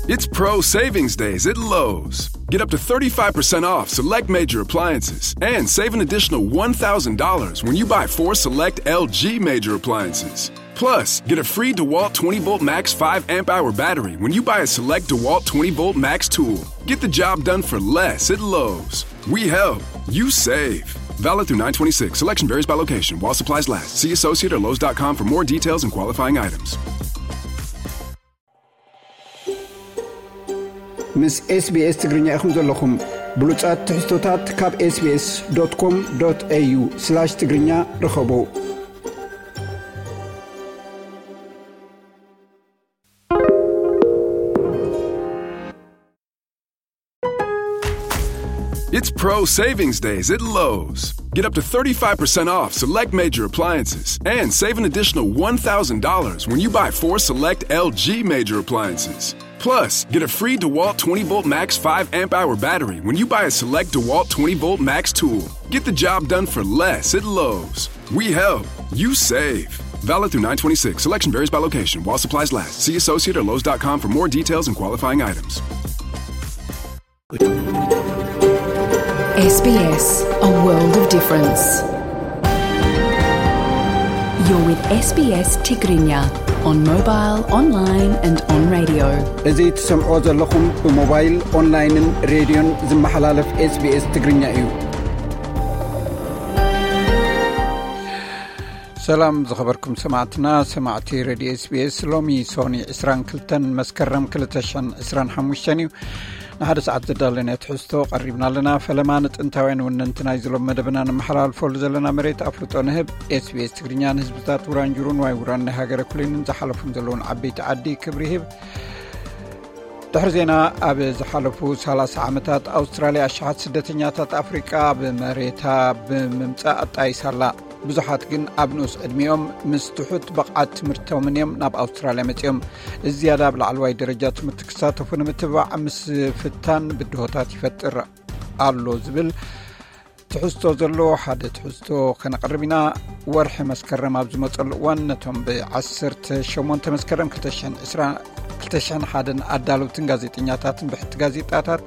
It's Pro Savings Days at Lowe's. Get up to thirty-five percent off select major appliances and save an additional one thousand dollars when you buy four select L G major appliances. Plus, get a free DeWalt twenty volt Max five amp hour battery when you buy a select DeWalt twenty volt Max tool. Get the job done for less at Lowe's. We help, you save. Valid through nine twenty-six. Selection varies by location while supplies last. See associate or Lowe's dot com for more details and qualifying items. ምስ SBS ትግርኛ ኢኹም ዘለኹም። ብሉጻት ትሕዝቶታት ካብ SBS.com.au/ትግርኛ ርኸቡ። It's Pro Savings Days at Lowe's. Get up to thirty-five percent off select major appliances and save an additional one thousand dollars when you buy four select L G major appliances. Plus, get a free DeWalt twenty volt Max five amp hour battery when you buy a select DeWalt twenty volt Max tool. Get the job done for less at Lowe's. We help, you save. Valid through nine twenty-six. Selection varies by location while supplies last. See associate or Lowe's dot com for more details and qualifying items. S B S, a world of difference. You're with S B S Tigrinya on mobile, online and on radio. እዚ ትሰምዖ ዘለኹም ብሞባይል፣ ኦንላይንን ሬድዮን ዝመሓላለፍ SBS ትግርኛ እዩ። ሰላም ዝኸበርኩም ሰማዕትና፣ ሰማዕቲ ሬድዮ SBS። ሎሚ ሶኒ ዕስራን ክልተን መስከረም ክልተ ሽሕን ዕስራን ሓሙሽተን እዩ። ንሓደ ሰዓት ዘዳለናዮ ትሕዝቶ ቀሪብና ኣለና። ፈለማ ንጥንታውያን ወነንቲ ናይዚ ሎም መደብና ንመሓላልፈሉ ዘለና መሬት ኣፍልጦ ንህብ። SBS ትግርኛ ንህዝብታት ውራንጁሩን ዋይ ውራን ናይ ሃገረ ኩሊንን ዝሓለፉን ዘለውን ዓበይቲ ዓዲ ክብሪ ይህብ። ድሕሪ ዜና፣ ኣብ ዝሓለፉ ሰላሳ ዓመታት ኣውስትራልያ ኣሽሓት ስደተኛታት ኣፍሪቃ ኣብ መሬታ ብምምጻእ ኣጣይሳ ኣላ። ብዙሓት ግን ኣብ ንኡስ ዕድሚኦም ምስ ትሑት ብቕዓት ትምህርቶምን እዮም ናብ ኣውስትራልያ መጺኦም። እዚ ዝያዳ ኣብ ላዕለዋይ ደረጃ ትምህርቲ ክሳተፉ ንምትብባዕ ምስ ፍታን ብድሆታት ይፈጥር ኣሎ ዝብል ትሕዝቶ ዘለዎ ሓደ ትሕዝቶ ከነቕርብ ኢና። ወርሒ መስከረም ኣብ ዝመጸሉ እዋን ነቶም ብ ዓሰርተ ሸሞንተ መስከረም ክልተ ሽሕን ዕስራን ክልተ ሽሕን ሓደን ኣዳለውትን ጋዜጠኛታትን ብሕቲ ጋዜጣታት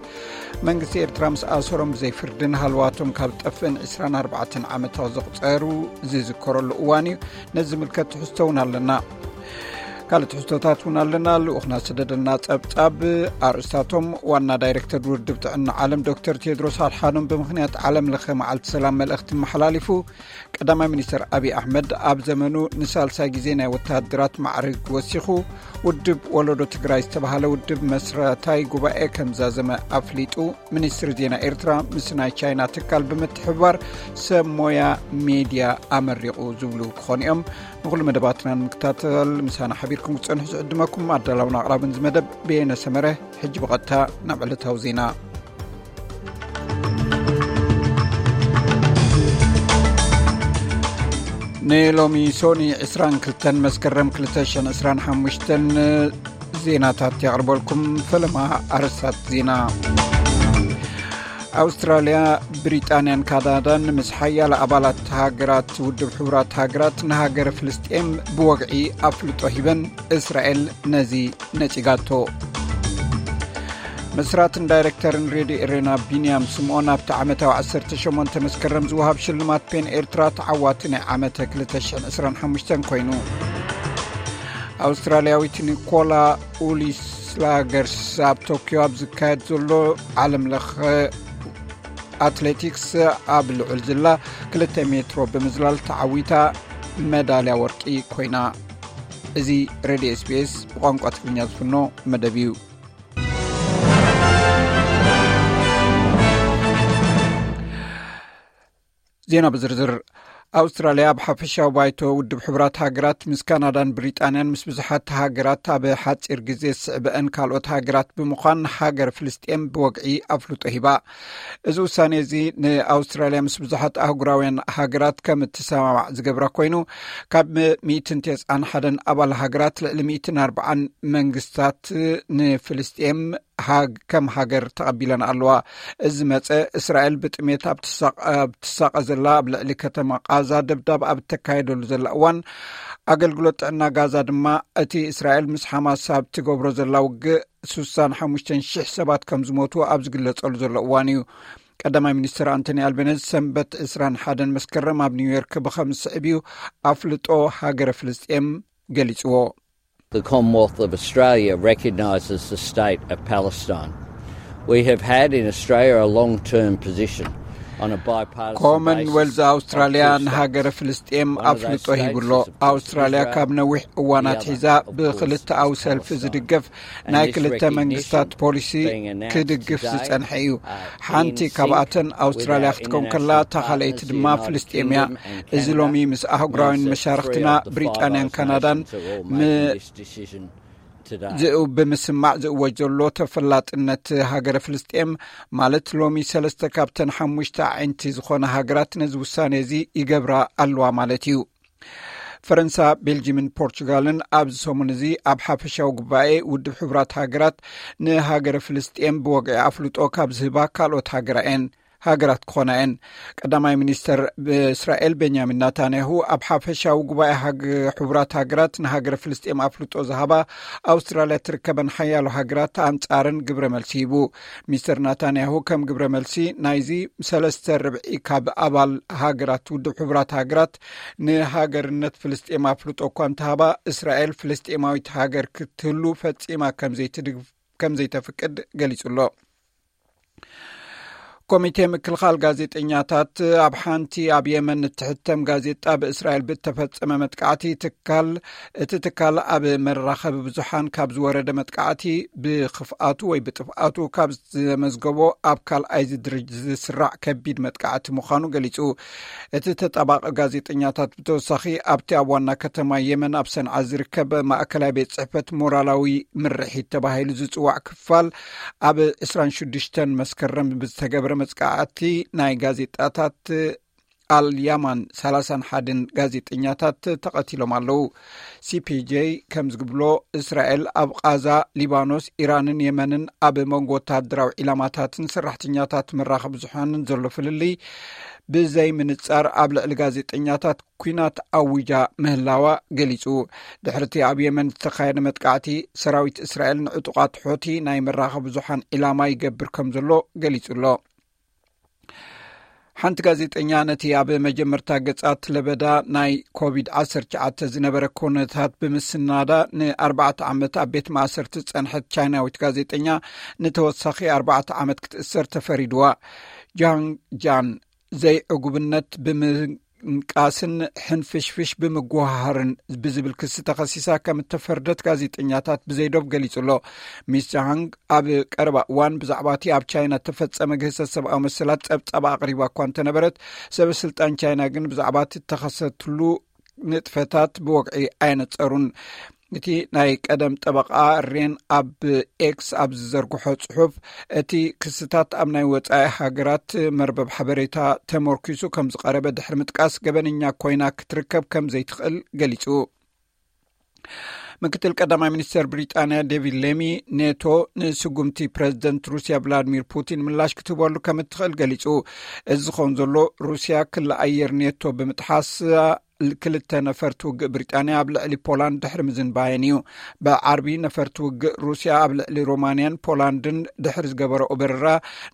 መንግስቲ ኤርትራ ምስ ኣሰሮም ብዘይ ፍርድን ሃለዋቶም ካብ ጠፍእን ዕስራን ኣርባዕተን ዓመት ዘቑጸሩ ዝዝከረሉ እዋን እዩ። ነዚ ዝምልከት ትሕዝቶ እውን ኣለና። ካልእ ትሕዝቶታት እውን ኣለና። ልኡኽና ዝሰደደልና ጸብጻብ ኣርእስታቶም፣ ዋና ዳይሬክተር ውድብ ጥዕና ዓለም ዶክተር ቴድሮስ ኣድሓኖም ብምኽንያት ዓለም ለኸ መዓልቲ ሰላም መልእኽቲ መሓላሊፉ፣ ቀዳማይ ሚኒስተር ኣብይ ኣሕመድ ኣብ ዘመኑ ንሳልሳይ ግዜ ናይ ወተሃደራት ማዕርግ ወሲኹ፣ ውድብ ወለዶ ትግራይ ዝተባህለ ውድብ መስራታይ ጉባኤ ከም ዛዘመ ኣፍሊጡ፣ ሚኒስትሪ ዜና ኤርትራ ምስ ናይ ቻይና ትካል ብምትሕብባር ሰብ ሞያ ሜድያ ኣመሪቑ ዝብሉ ክኾኑ እዮም። ንኹሉ መደባትና ንምክታተል ምሳና ሓቢርኩም ክትጸንሑ ዝዕድመኩም ኣዳላውን ኣቕራብን እዚ መደብ በየነ ሰመረ። ሕጂ ብቐጥታ ናብ ዕለታዊ ዜና። ንሎሚ ሶኒ ዕስራን ክልተን መስከረም ክልተ ሽሕን ዕስራን ሓሙሽተን ዜናታት የቕርበልኩም። ፈለማ ኣርእስታት ዜና። ኣውስትራልያ፣ ብሪጣንያን ካናዳን ምስ ሓያለ ኣባላት ሃገራት ውድብ ሕቡራት ሃገራት ንሃገረ ፍልስጤም ብወግዒ ኣፍልጦ ሂበን፣ እስራኤል ነዚ ነጺጋቶ። መስራትን ዳይረክተርን ሬድዮ ኤሬና ቢንያም ስምኦን ኣብቲ ዓመታዊ ዓሰርተ ሸሞንተ መስከረም ዝወሃብ ሽልማት ፔን ኤርትራ ተዓዋቲ ናይ ዓመተ ክልተ ሽሕን ዕስራን ሓሙሽተን ኮይኑ። ኣውስትራልያዊት ኒኮላ ኡሊስላገርስ ኣብ ቶክዮ ኣብ ዝካየድ ዘሎ ዓለም ለኸ ኣትሌቲክስ ኣብ ልዑል ዝላ ክልተ ሜትሮ ብምዝላል ተዓዊታ መዳልያ ወርቂ ኮይና። እዚ ሬድዮ SBS ብቋንቋ ትግርኛ ዝፍኖ መደብ እዩ። ዜና ብዝርዝር። ኣውስትራልያ ኣብ ሓፈሻዊ ባይቶ ውድብ ሕቡራት ሃገራት ምስ ካናዳን ብሪጣንያን ምስ ብዙሓት ሃገራት ኣብ ሓጺር ግዜ ዝስዕበአን ካልኦት ሃገራት ብምዃን ሃገር ፍልስጤም ብወግዒ ኣፍልጦ ሂባ። እዚ ውሳኔ እዚ ንኣውስትራልያ ምስ ብዙሓት ኣህጉራውያን ሃገራት ከም እትሰማማዕ ዝገብራ ኮይኑ፣ ካብ ሚእትን ተስዓን ሓደን ኣባል ሃገራት ልዕሊ ሚእትን ኣርባዓን መንግስታት ንፍልስጤም ሃግ-፣ ከም ሃገር ተቐቢለን ኣለዋ። እዚ መጸ እስራኤል ብጥሜት ኣብ ትሳቐ-፣ ኣብ ትሳቐ ዘላ ኣብ ልዕሊ ከተማ ቃዛ ደብዳብ ኣብ እተካየደሉ ዘላ እዋን፣ ኣገልግሎት ጥዕና ጋዛ ድማ እቲ እስራኤል ምስ ሓማስ ኣብ ትገብሮ ዘላ ውግእ ሱሳን ሓሙሽተን ሽሕ ሰባት ከም ዝሞቱ ኣብ ዝግለጸሉ ዘሎ እዋን እዩ። ቀዳማይ ሚኒስትር ኣንቶኒ ኣልቤነዝ ሰንበት ዕስራን ሓደን መስከረም ኣብ ኒውዮርክ ብኸም ዝስዕብ እዩ ኣፍልጦ ሃገረ ፍልስጤም ገሊጽዎ። The Commonwealth of Australia recognises the state of Palestine. We have had in Australia a long-term position on a bipartisan basis. ኮመንዌልዝ ኣውስትራልያ ንሃገረ ፍልስጤም ኣፍልጦ ሂብሎ። ኣውስትራልያ ካብ ነዊሕ እዋናት ሒዛ ብክልተኣዊ ሰልፊ ዝድገፍ ናይ ክልተ መንግስታት ፖሊሲ ክድግፍ ዝጸንሐ እዩ። ሓንቲ ካብኣተን ኣውስትራልያ ክትከውን ከላ፣ እታ ካልኣይቲ ድማ ፍልስጤም እያ። እዚ ሎሚ ምስ ኣህጉራውያን መሻርክትና ብሪጣንያን ካናዳን ም- ዝእው ብምስማዕ ዝእወጅ ዘሎ ተፈላጥነት ሃገረ ፍልስጤም፣ ማለት ሎሚ ሰለስተ ካብተን ሓሙሽተ ኣዒንቲ ዝኾነ ሃገራት ነዚ ውሳኔ እዚ ይገብራ ኣለዋ ማለት እዩ። ፈረንሳ፣ ቤልጂምን ፖርቹጋልን ኣብዚ ሰሙን እዚ ኣብ ሓፈሻዊ ጉባኤ ውድብ ሕቡራት ሃገራት ንሃገረ ፍልስጤም ብወግዒ ኣፍልጦ ካብ ዝህባ ካልኦት ሃገራ እየን ሃገራት ክኾና እየን። ቀዳማይ ሚኒስተር እስራኤል ቤንያሚን ናታንያሁ ኣብ ሓፈሻዊ ጉባኤ ሃግ- ሕቡራት ሃገራት ንሃገረ ፍልስጤም ኣፍልጦ ዝሃባ ኣውስትራልያ ትርከበን ሓያሎ ሃገራት ኣንጻረን ግብረ መልሲ ሂቡ። ሚስተር ናታንያሁ ከም ግብረ መልሲ ናይዚ ሰለስተ ርብዒ ካብ ኣባል ሃገራት ውድብ ሕቡራት ሃገራት ንሃገርነት ፍልስጤም ኣፍልጦ እኳ እንተሃባ፣ እስራኤል ፍልስጤማዊት ሃገር ክትህሉ ፈጺማ ከም ዘይትድግፍ ከም ዘይተፍቅድ ገሊጹ ኣሎ። ኮሚቴ ምክልኻል ጋዜጠኛታት ኣብ ሓንቲ ኣብ የመን እትሕተም ጋዜጣ ብእስራኤል ብእተፈጸመ መጥቃዕቲ ትካል እቲ ትካል ኣብ መራኸቢ ብዙሓን ካብ ዝወረደ መጥቃዕቲ ብክፍኣቱ ወይ ብጥፍኣቱ ካብ ዘመዝገቦ ኣብ ካልኣይ ዝድርጅ ዝስራዕ ከቢድ መጥቃዕቲ ምዃኑ ገሊጹ። እቲ ተጣባቂ ጋዜጠኛታት ብተወሳኺ ኣብቲ ኣብ ዋና ከተማ የመን ኣብ ሰንዓ ዝርከብ ማእከላይ ቤት ጽሕፈት ሞራላዊ ምርሒት ተባሂሉ ዝጽዋዕ ክፋል ኣብ ዕስራን ሽዱሽተን መስከረም ብዝተገብረ መጥቃዕቲ ናይ ጋዜጣታት ኣልያማን ሰላሳን ሓደን ጋዜጠኛታት ተቐቲሎም ኣለዉ። ሲፒጄ ከም ዝብሎ፣ እስራኤል ኣብ ቓዛ፣ ሊባኖስ፣ ኢራንን የመንን ኣብ መንጎ ወተሃደራዊ ዒላማታትን ሰራሕተኛታት መራኸቢ ብዙሓንን ዘሎ ፍልልይ ብዘይ ምንጻር ኣብ ልዕሊ ጋዜጠኛታት ኲናት ኣዊጃ ምህላዋ ገሊጹ። ድሕርቲ ኣብ የመን ዝተኻየደ መጥቃዕቲ፣ ሰራዊት እስራኤል ንዕጡቓት ሖቲ ናይ መራኸቢ ብዙሓን ዒላማ ይገብር ከም ዘሎ ገሊጹ ኣሎ። ሓንቲ ጋዜጠኛ ነቲ ኣብ መጀመርታ ገጻት ለበዳ ናይ ኮቪድ ዓሰርተ ትሽዓተ ዝነበረ ኩነታት ብምስናዳ ንኣርባዕተ ዓመት ኣብ ቤት ማእሰርቲ ዝጸንሐት ቻይናዊት ጋዜጠኛ ንተወሳኺ ኣርባዕተ ዓመት ክትእሰር ተፈሪድዋ። ጃንግ ጃን ዘይዕጉብነት ብምንቃስን ሕንፍሽፍሽ ብምጉሃሃርን ብዝብል ክሲ ተኸሲሳ ከም እተፈርደት ጋዜጠኛታት ብዘይዶብ ገሊጹ ኣሎ። ሚስ ጃንግ ኣብ ቀረባ እዋን ብዛዕባ እቲ ኣብ ቻይና እተፈጸመ ግህሰት ሰብኣዊ መሰላት ጸብጻብ ኣቕሪባ እኳ እንተነበረት፣ ሰበ ስልጣን ቻይና ግን ብዛዕባ እቲ እተኸሰትሉ ንጥፈታት ብወግዒ ኣየነጸሩን። እቲ ናይ ቀደም ጠበቓ ሬን ኣብ ኤክስ ኣብ ዝዘርግሖ ጽሑፍ፣ እቲ ክስታት ኣብ ናይ ወጻኢ ሃገራት መርበብ ሓበሬታ ተመርኪሱ ከም ዝቐረበ ድሕሪ ምጥቃስ፣ ገበነኛ ኮይና ክትርከብ ከም ዘይትኽእል ገሊጹ። ምክትል ቀዳማይ ሚኒስተር ብሪጣንያ ዴቪድ ሌሚ፣ ኔቶ ንስጉምቲ ፕረዚደንት ሩስያ ቭላድሚር ፑቲን ምላሽ ክትህበሉ ከም እትኽእል ገሊጹ። እዚ ዝኸውን ዘሎ፣ ሩስያ ክሊ ኣየር ኔቶ ብምጥሓስ ክልተ ነፈርቲ ውግእ ብሪጣንያ ኣብ ልዕሊ ፖላንድ ድሕሪ ምዝንባየን እዩ። ብዓርቢ ነፈርቲ ውግእ ሩስያ ኣብ ልዕሊ ሮማንያን ፖላንድን ድሕሪ ዝገበረኦ በረራ፣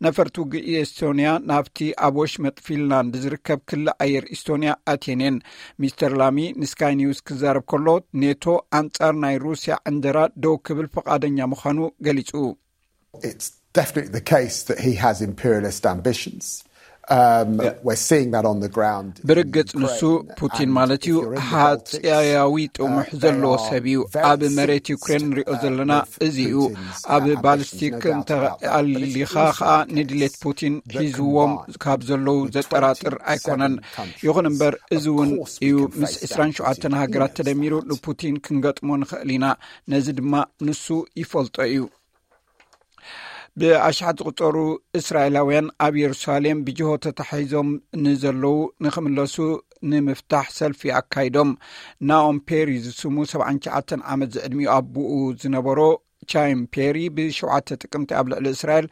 ነፈርቲ ውግእ ኤስቶንያ ናብቲ ኣብ ወሽመጥ ፊንላንድ ዝርከብ ክሊ ኣየር ኢስቶንያ ኣትየን እየን። ሚስተር ላሚ ንስካይ ኒውስ ክዛረብ ከሎ፣ ኔቶ ኣንጻር ናይ ሩስያ ዕንደራ ደው ክብል ፍቓደኛ ምዃኑ ገሊጹ። It's definitely the case that he has imperialist ambitions. Um, we're seeing that on the ground. ብርግጽ ንሱ ፑቲን ማለት እዩ፣ ሃጸያዊ ጥሙሕ ዘለዎ ሰብ እዩ። ኣብ መሬት ዩክሬን ንሪኦ ዘለና እዚ እዩ። ኣብ ባሊስቲክ እንተኣሊኻ ኸኣ ንድሌት ፑቲን ሒዝዎም ካብ ዘለዉ ዘጠራጥር ኣይኮነን። ይኹን እምበር፣ እዚ እውን እዩ ምስ ዕስራን ሸውዓተን ሃገራት ተደሚሩ ንፑቲን ክንገጥሞ ንኽእል ኢና። ነዚ ድማ ንሱ ይፈልጦ እዩ። ብኣሽሓት ዝቑጸሩ እስራኤላውያን ኣብ የሩሳሌም ብጅሆ ተታሒዞም ንዘለዉ ንኽምለሱ ንምፍታሕ ሰልፊ ኣካይዶም። ናኦም ፔሪ ዝስሙ ሰብዓን ትሽዓተን ዓመት ዝዕድሚኡ ኣቦኡ ዝነበሮ ቻይም ፔሪ ብሸውዓተ ጥቅምቲ ኣብ ልዕሊ እስራኤል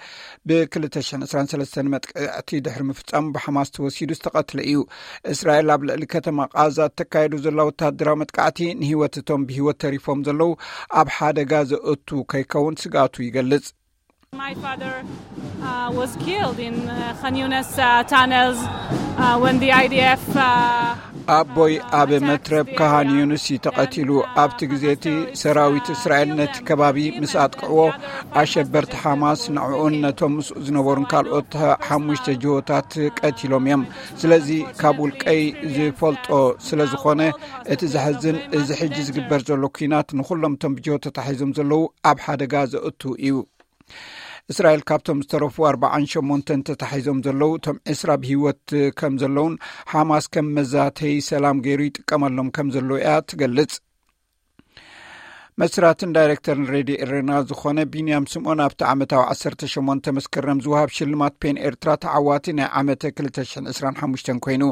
ብ ክልተ ሽሕን ዕስራን ሰለስተን መጥቃዕቲ ድሕሪ ምፍጻሙ ብሓማስ ተወሲዱ ዝተቐትለ እዩ። እስራኤል ኣብ ልዕሊ ከተማ ቃዛ እተካየዱ ዘላ ወታደራዊ መጥቃዕቲ ንህይወት እቶም ብህይወት ተሪፎም ዘለዉ ኣብ ሓደጋ ዘእቱ ከይከውን ስግኣቱ ይገልጽ። My father uh, was killed in uh, Khan Yunis uh, tunnels uh, when the I D F uh, ኣቦይ ኣብ መትረብ ካሃን ዩንስ እዩ ተቐቲሉ። ኣብቲ ግዜ እቲ ሰራዊት እስራኤል ነቲ ከባቢ ምስ ኣጥቅዕዎ ኣሸበርቲ ሓማስ ንዕኡን ነቶም ምስኡ ዝነበሩን ካልኦት ሓሙሽተ ጅሆታት ቀቲሎም እዮም። ስለዚ ካብ ውልቀይ ዝፈልጦ ስለ ዝኾነ እቲ ዘሕዝን እዚ ሕጂ ዝግበር ዘሎ ኲናት ንኹሎም እቶም ብጅሆ ተታሒዞም ዘለዉ ኣብ ሓደጋ ዘእቱ እዩ። እስራኤል ካብቶም ዝተረፉ ኣርባዓን ሸሞንተን ተታሒዞም ዘለዉ እቶም ዕስራ ብህይወት ከም ዘለውን ሓማስ ከም መዛተይ ሰላም ገይሩ ይጥቀመሎም ከም ዘሎ እያ ትገልጽ። መስራትን ዳይሬክተርን ሬድዮ ኤረና ዝኾነ ቢንያም ስምኦን ኣብቲ ዓመታዊ ዓሰርተ ሸሞንተ መስከረም ዝወሃብ ሽልማት ፔን ኤርትራ ተዓዋቲ ናይ ዓመተ ክልተ ሽሕን ዕስራን ሓሙሽተን ኮይኑ።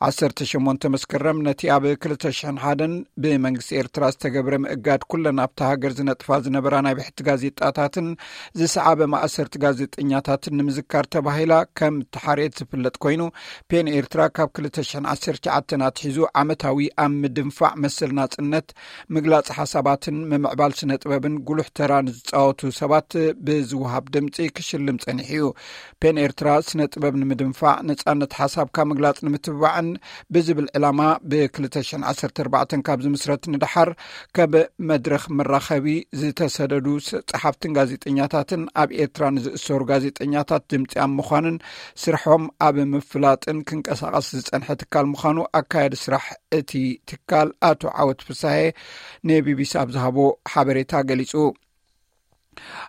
ዓሰርተ ሸሞንተ መስከረም ነቲ ኣብ ክልተ ሽሕን ሓደን ብመንግስቲ ኤርትራ ዝተገብረ ምእጋድ ኩለን ኣብታ ሃገር ዝነጥፋ ዝነበራ ናይ ብሕቲ ጋዜጣታትን ዝሰዓበ ማእሰርቲ ጋዜጠኛታትን ንምዝካር ተባሂላ ከም ተሓርየት ዝፍለጥ ኮይኑ፣ ፔን ኤርትራ ካብ ክልተ ሽሕን ዓሰርተ ትሽዓተን ኣትሒዙ ዓመታዊ ኣብ ምድንፋዕ መሰል ናጽነት ምግላጽ ሓሳባትን ምምዕባል ስነ ጥበብን ጉሉሕ ተራ ንዝጻወቱ ሰባት ብዝወሃብ ድምጺ ክሽልም ጸኒሑ እዩ። ፔን ኤርትራ ስነ ጥበብ ንምድንፋዕ፣ ነጻነት ሓሳብካ ምግላጽ ንምትብባዕን ብዝብል ዕላማ ብ ክልተ ሽሕን ዓሰርተ ኣርባዕተን ካብ ዝምስረት ንደሓር፣ ከብ መድረኽ መራኸቢ ዝተሰደዱ ጸሓፍትን ጋዜጠኛታትን ኣብ ኤርትራ ንዝእሰሩ ጋዜጠኛታት ድምጺ ኣብ ምዃንን ስርሖም ኣብ ምፍላጥን ክንቀሳቐስ ዝጸንሐ ትካል ምዃኑ ኣካያዲ ስራሕ እቲ ትካል ኣቶ ዓወት ፍሳሄ ንቢቢሲ ኣብ ዝሃቦ ሓበሬታ ገሊጹ።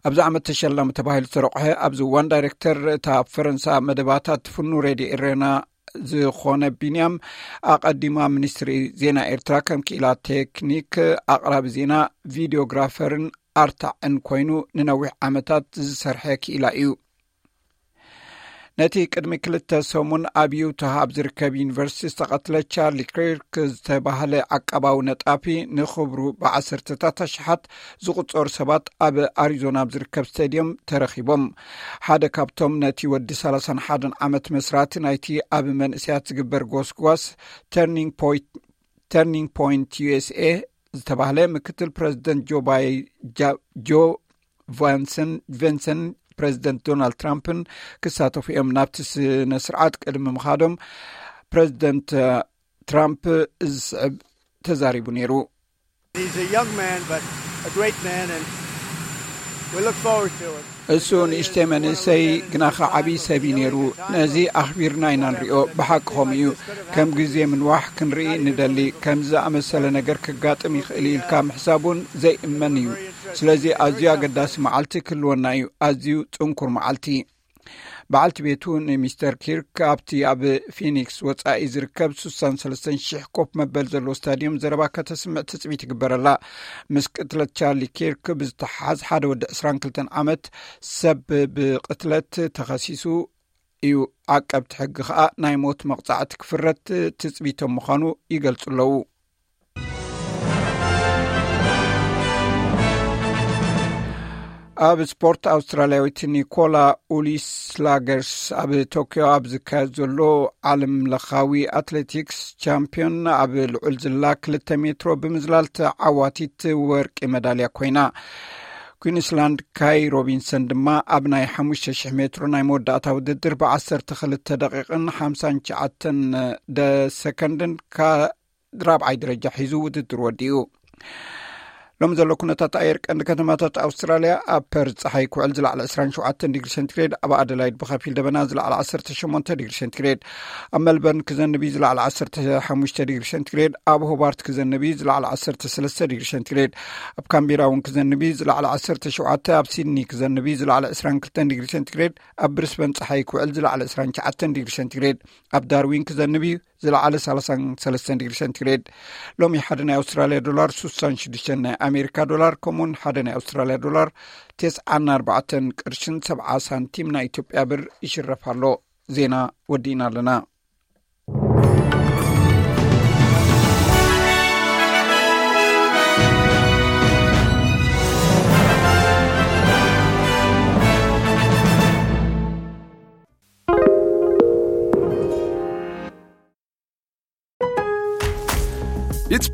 ኣብዚ ዓመት ተሸላሚ ተባሂሉ ዝተረቑሐ ኣብዚ እዋን ዳይሬክተር እታ ኣብ ፈረንሳ መደባታት ትፍኑ ሬድዮ ኤሬና ዝኾነ ቢንያም፣ ኣቐዲማ ሚኒስትሪ ዜና ኤርትራ ከም ክኢላ ቴክኒክ፣ ኣቕራቢ ዜና፣ ቪዲዮግራፈርን ኣርታዕን ኮይኑ ንነዊሕ ዓመታት ዝሰርሐ ክኢላ እዩ። ነቲ ቅድሚ ክልተ ሰሙን ኣብ ዩታ ኣብ ዝርከብ ዩኒቨርሲቲ ዝተቐትለ ቻርሊ ኪርክ ዝተባህለ ዓቃባዊ ነጣፊ ንኽብሩ ብዓሰርተታት ኣሽሓት ዝቑጸሩ ሰባት ኣብ ኣሪዞና ኣብ ዝርከብ ስቴድዮም ተረኺቦም። ሓደ ካብቶም ነቲ ወዲ ሰላሳን ሓደን ዓመት መስራቲ ናይቲ ኣብ መንእሰያት ዝግበር ጎስጓስ ተርኒንግ ፖይንት ተርኒንግ ፖይንት ዩ ኤስ ኤ ዝተባህለ ምክትል ፕረዚደንት ጆ ባይ ጆ ቫንሰን ቨንሰን ፕረዚደንት ዶናልድ ትራምፕን ክሳተፉ እዮም። ናብቲ ስነ ስርዓት ቅድሚ ምኻዶም ፕረዚደንት ትራምፕ እዚ ስዕብ ተዛሪቡ ነይሩ። እሱ ንእሽተይ መንእሰይ ግናኸ ዓብዪ ሰብ እዩ ነይሩ። ነዚ ኣኽቢርና ኢና ንሪኦ። ብሓቂ ከምኡ እዩ። ከም ግዜ ምንዋሕ ክንርኢ ንደሊ። ከምዚ ዝኣመሰለ ነገር ክጋጥም ይኽእል ኢልካ ምሕሳብ እውን ዘይእመን እዩ። ስለዚ ኣዝዩ ኣገዳሲ መዓልቲ ክህልወና እዩ። ኣዝዩ ጽንኩር መዓልቲ። በዓልቲ ቤቱ ንሚስተር ኪርክ ኣብቲ ኣብ ፊኒክስ ወጻኢ ዝርከብ ስሳን ሰለስተን ሽሕ ኮፍ መበል ዘለዎ ስታድዮም ዘረባ ከተስምዕ ትጽቢት ይግበረላ። ምስ ቅትለት ቻርሊ ኪርክ ብዝተሓሓዝ ሓደ ወዲ ዕስራን ክልተን ዓመት ሰብ ብቅትለት ተኸሲሱ እዩ። ዓቀብቲ ሕጊ ከኣ ናይ ሞት መቕጻዕቲ ክፍረድ ትጽቢቶም ምዃኑ ይገልጹ ኣለዉ። ኣብ ስፖርት ኣውስትራልያዊት ኒኮላ ኡሊስ ላገርስ ኣብ ቶክዮ ኣብ ዝካየድ ዘሎ ዓለም ለኻዊ ኣትሌቲክስ ቻምፒዮን ኣብ ልዑል ዝላ ክልተ ሜትሮ ብምዝላል ተዓዋቲት ወርቂ መዳልያ ኮይና። ኩንስላንድ ካይ ሮቢንሰን ድማ ኣብ ናይ ሓሙሽተ ሽሕ ሜትሮ ናይ መወዳእታ ውድድር ብ ዓሰርተ ክልተ ደቂቕን ሓምሳን ትሽዓተን ደ ሰከንድን ካ ራብዓይ ደረጃ ሒዙ ውድድር ወዲኡ። ሎም ዘሎ ኩነታት ኣየር ቀንዲ ከተማታት ኣውስትራልያ ኣብ ፐርዝ ጸሓይ ክውዕል ዝለዕለ ዕስራን ሸውዓተን ዲግሪ ሴንቲግሬድ፣ ኣብ ኣደላይድ ብኸፊል ደበና ዝለዕለ ዓሰርተ ሸሞንተ ዲግሪ ሴንቲግሬድ፣ ኣብ መልበርን ክዘንብ እዩ ዝለዕለ ዓሰርተ ሓሙሽተ ዲግሪ ሴንቲግሬድ፣ ኣብ ሆባርት ክዘንብ እዩ ዝለዕለ ዓሰርተ ሰለስተ ዲግሪ ሴንቲግሬድ፣ ኣብ ካምቤራ እውን ክዘንብ እዩ ዝለዕለ ዓሰርተ ሸውዓተ፣ ኣብ ሲድኒ ክዘንብ እዩ ዝለዕለ ዕስራን ክልተን ዲግሪ ሴንቲግሬድ፣ ኣብ ብሪስበን ጸሓይ ክውዕል ዝለዕለ ዕስራን ትሽዓተን ዲግሪ ሴንቲግሬድ፣ ኣብ ዳርዊን ክዘንብ እዩ ዝለዓለ ሰላሳን ሰለስተን ዲግሪ ሴንቲግሬድ። ሎሚ ሓደ ናይ ኣውስትራልያ ዶላር ስሳን ሽዱሽተን ናይ ኣሜሪካ ዶላር፣ ከምኡውን ሓደ ናይ ኣውስትራልያ ዶላር ተስዓን ኣርባዕተን ቅርሽን ሰብዓ ሳንቲም ናይ ኢትዮጵያ ብር ይሽረፍ ኣሎ። ዜና ወዲእና ኣለና።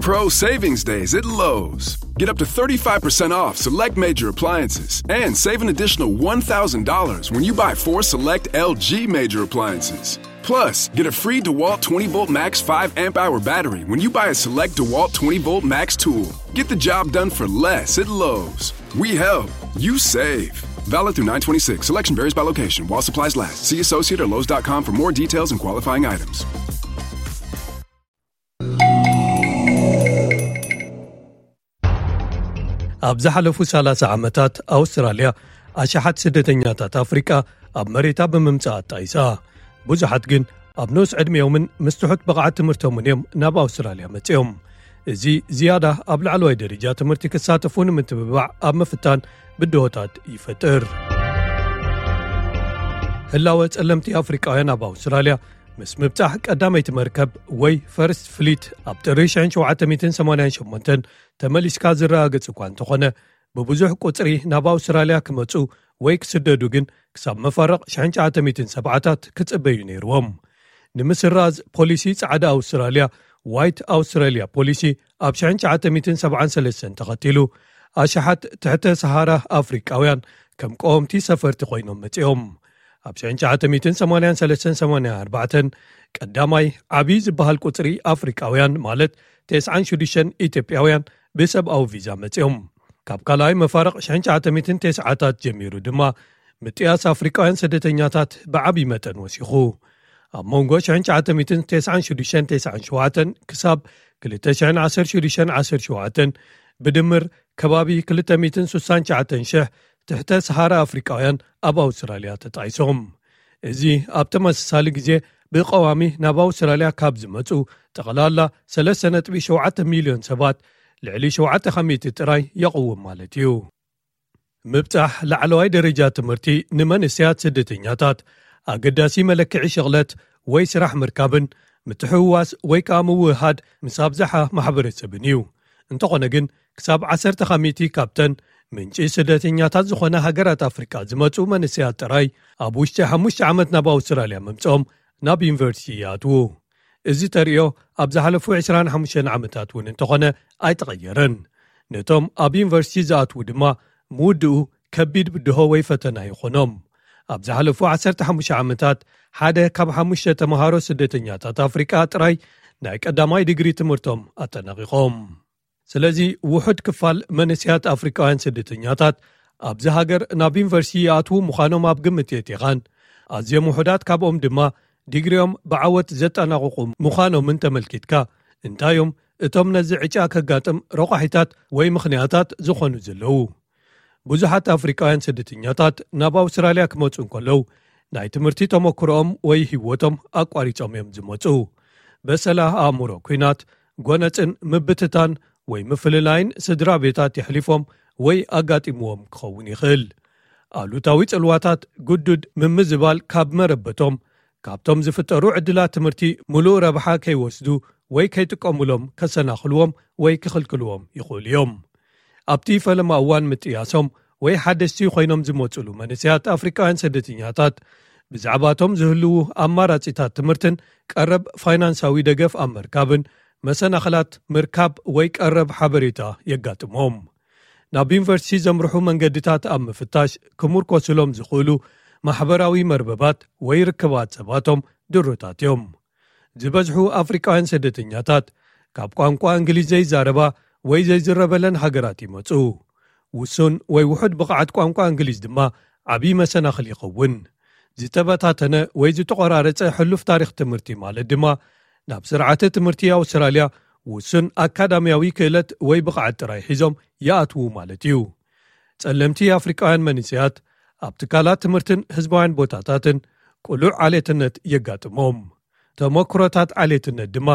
Pro Savings Days at Lowe's. Get up to thirty-five percent off select major appliances and save an additional one thousand dollars when you buy four select L G major appliances. Plus, get a free DeWalt twenty volt Max five amp hour battery when you buy a select DeWalt twenty volt Max tool. Get the job done for less at Lowe's. We help, you save. Valid through nine twenty-six. Selection varies by location while supplies last. See associate or Lowe's dot com for more details and qualifying items. ኣብ ዝሓለፉ ሰላሳ ዓመታት ኣውስትራልያ ኣሽሓት ስደተኛታት ኣፍሪቃ ኣብ መሬታ ብምምጻእ ኣጣይሳ። ብዙሓት ግን ኣብ ንኡስ ዕድሜኦምን ምስ ትሑት ብቕዓት ትምህርቶምን እዮም ናብ ኣውስትራልያ መጺኦም። እዚ ዝያዳ ኣብ ላዕለዋይ ደረጃ ትምህርቲ ክሳተፉ ንምትብባዕ ኣብ ምፍታን ብድሆታት ይፈጥር። ህላወ ጸለምቲ ኣፍሪቃውያን ኣብ ኣውስትራልያ ምስ ምብጻሕ ቀዳመይቲ መርከብ ወይ ፈርስት ፍሊት ኣብ ጥሪ ሺሕ ሸውዓተ ሚእትን ሰማንያን ሸሞንተን ተመሊስካ ዝረጋገጽ እኳ እንተኾነ፣ ብብዙሕ ቁጽሪ ናብ ኣውስትራልያ ክመጹ ወይ ክስደዱ ግን ክሳብ መፋርቕ ሸሕን ሸዓተ ሚእትን ሰብዓታት ክጽበዩ ነይርዎም። ንምስራዝ ፖሊሲ ጻዕዳ ኣውስትራልያ፣ ዋይት ኣውስትራልያ ፖሊሲ፣ ኣብ ሸሕን ሸዓተ ሚእትን ሰብዓን ሰለስተን ተኸቲሉ፣ ኣሽሓት ትሕተ ሰሃራ ኣፍሪቃውያን ከም ቀወምቲ ሰፈርቲ ኮይኖም መጺኦም። ኣብ ሸሕን ሸዓተ ሚእትን ሰማንያን ሰለስተን ሰማንያን ኣርባዕተን ቀዳማይ ዓቢ ዝበሃል ቁጽሪ ኣፍሪቃውያን፣ ማለት ተስዓን ሽዱሽተን ኢትዮጵያውያን፣ ብሰብኣዊ ቪዛ መጺኦም። ካብ ካልኣይ መፋርቕ ሸሕን ሸዓተ ሚእትን ተስዓታት ጀሚሩ ድማ ምጥያስ ኣፍሪቃውያን ስደተኛታት ብዓቢ መጠን ወሲኹ። ኣብ መንጎ ሸሕን ሸዓተ ሚእትን ተስዓን ሽዱሽተን ተስዓን ሸውዓተን ክሳብ ክልተ ሺሕን ዓሰርተ ሽዱሽተን ዓሰርተ ሸውዓተን ብድምር ከባቢ ክልተ ሚእትን ስሳን ትሽዓተን ሽሕ ትሕተ ሰሃራ ኣፍሪቃውያን ኣብ ኣውስትራልያ ተጣይሶም። እዚ ኣብ ተመሳሳሊ ግዜ ብቐዋሚ ናብ ኣውስትራልያ ካብ ዝመጹ ጠቕላላ ሰለስተ ነጥቢ ሸውዓተ ሚልዮን ሰባት ልዕሊ ሸውዓተ ካብ ሚእቲ ጥራይ የቕውም ማለት እዩ። ምብጻሕ ላዕለዋይ ደረጃ ትምህርቲ ንመንእሰያት ስደተኛታት ኣገዳሲ መለክዒ ሽቕለት ወይ ስራሕ ምርካብን ምትሕውዋስ ወይ ከኣ ምውህሃድ ምስ ኣብዝሓ ማሕበረሰብን እዩ። እንተኾነ ግን፣ ክሳብ ዓሰርተ ካብ ሚእቲ ካብተን ምንጪ ስደተኛታት ዝኾነ ሃገራት ኣፍሪቃ ዝመጹ መንእሰያት ጥራይ ኣብ ውሽጢ ሓሙሽተ ዓመት ናብ ኣውስትራልያ ምምጽኦም ናብ ዩኒቨርሲቲ ይኣትዉ። እዚ ተርእዮ ኣብ ዝሓለፉ ዕስራን ሓሙሽተን ዓመታት እውን እንተኾነ ኣይተቐየረን። ነቶም ኣብ ዩኒቨርሲቲ ዝኣትዉ ድማ ምውድኡ ከቢድ ብድሆ ወይ ፈተና ይኾኖም። ኣብ ዝሓለፉ ዓሰርተ ሓሙሽተ ዓመታት ሓደ ካብ ሓሙሽተ ተምሃሮ ስደተኛታት ኣፍሪቃ ጥራይ ናይ ቀዳማይ ዲግሪ ትምህርቶም ኣጠናቒቖም። ስለዚ ውሑድ ክፋል መንእሰያት ኣፍሪቃውያን ስደተኛታት ኣብዚ ሃገር ናብ ዩኒቨርሲቲ ይኣትዉ ምዃኖም ኣብ ግምት የእቲኻን፣ ኣዝዮም ውሑዳት ካብኦም ድማ ዲግሪኦም ብዓወት ዘጠናቕቑ ምዃኖምን ተመልኪትካ፣ እንታይ እዮም እቶም ነዚ ዕጫ ከጋጥም ረቋሒታት ወይ ምኽንያታት ዝኾኑ ዘለዉ? ብዙሓት ኣፍሪቃውያን ስደተኛታት ናብ ኣውስትራልያ ክመጹ እንከለዉ፣ ናይ ትምህርቲ ተመክሮኦም ወይ ህይወቶም ኣቋሪጾም እዮም ዝመጹ። በሰላ ኣእምሮ፣ ኲናት፣ ጎነጽን ምብትታን ወይ ምፍልላይን ስድራ ቤታት የሕሊፎም ወይ ኣጋጢምዎም ክኸውን ይኽእል። ኣሉታዊ ጽልዋታት ግዱድ ምምዝባል ካብ መረበቶም፣ ካብቶም ዝፍጠሩ ዕድላት ትምህርቲ ምሉእ ረብሓ ከይወስዱ ወይ ከይጥቀሙሎም ከሰናኽልዎም ወይ ክኽልክልዎም ይኽእሉ እዮም። ኣብቲ ፈለማ እዋን ምጥያሶም ወይ ሓደስቲ ኮይኖም ዝመጹሉ መንእሰያት ኣፍሪቃውያን ስደተኛታት፣ ብዛዕባቶም ዝህልዉ ኣማራጺታት ትምህርትን ቀረብ ፋይናንሳዊ ደገፍ ኣብ ምርካብን መሰናኽላት ምርካብ ወይ ቀረብ ሓበሬታ የጋጥሞም። ናብ ዩኒቨርሲቲ ዘምርሑ መንገድታት ኣብ ምፍታሽ ክምርኮስሎም ዝኽእሉ ማሕበራዊ መርበባት ወይ ርክባት ሰባቶም ድሩታት እዮም። ዝበዝሑ ኣፍሪቃውያን ስደተኛታት ካብ ቋንቋ እንግሊዝ ዘይዛረባ ወይ ዘይዝረበለን ሃገራት ይመጹ። ውሱን ወይ ውሑድ ብቕዓት ቋንቋ እንግሊዝ ድማ ዓቢ መሰናኽል ይኸውን። ዝተበታተነ ወይ ዝተቖራረጸ ሕሉፍ ታሪኽ ትምህርቲ ማለት ድማ፣ ናብ ስርዓተ ትምህርቲ ኣውስትራልያ ውሱን ኣካዳሚያዊ ክእለት ወይ ብቕዓት ጥራይ ሒዞም ይኣትዉ ማለት እዩ። ጸለምቲ ኣፍሪቃውያን መንእሰያት ኣብ ትካላት ትምህርትን ህዝባውያን ቦታታትን ቅሉዕ ዓሌትነት የጋጥሞም። ተመክሮታት ዓሌትነት ድማ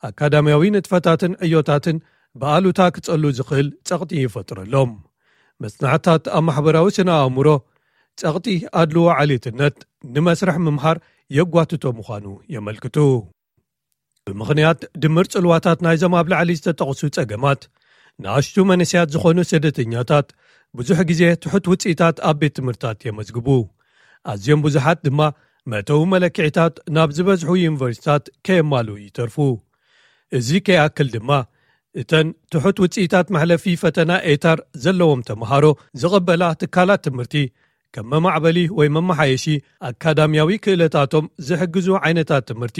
ኣካዳሚያዊ ንጥፈታትን ዕዮታትን ብኣሉታ ክጸሉ ዝኽእል ጸቕጢ ይፈጥረሎም። መጽናዕትታት ኣብ ማሕበራዊ ስነ ኣእምሮ፣ ጸቕጢ ኣድልዎ ዓሌትነት ንመስርሕ ምምሃር የጓትቶ ምዃኑ የመልክቱ። ብምኽንያት ድምር ጽልዋታት ናይዞም ኣብ ላዕሊ ዝተጠቕሱ ጸገማት፣ ንኣሽቱ መንእሰያት ዝኾኑ ስደተኛታት ብዙሕ ግዜ ትሑት ውጽኢታት ኣብ ቤት ትምህርታት የመዝግቡ። ኣዝዮም ብዙሓት ድማ መእተዊ መለክዒታት ናብ ዝበዝሑ ዩኒቨርሲታት ከየማልኡ ይተርፉ። እዚ ከይኣክል ድማ፣ እተን ትሑት ውጽኢታት መሕለፊ ፈተና ኤታር ዘለዎም ተምሃሮ ዝቕበላ ትካላት ትምህርቲ፣ ከም መማዕበሊ ወይ መመሓየሺ ኣካዳሚያዊ ክእለታቶም ዝሕግዙ ዓይነታት ትምህርቲ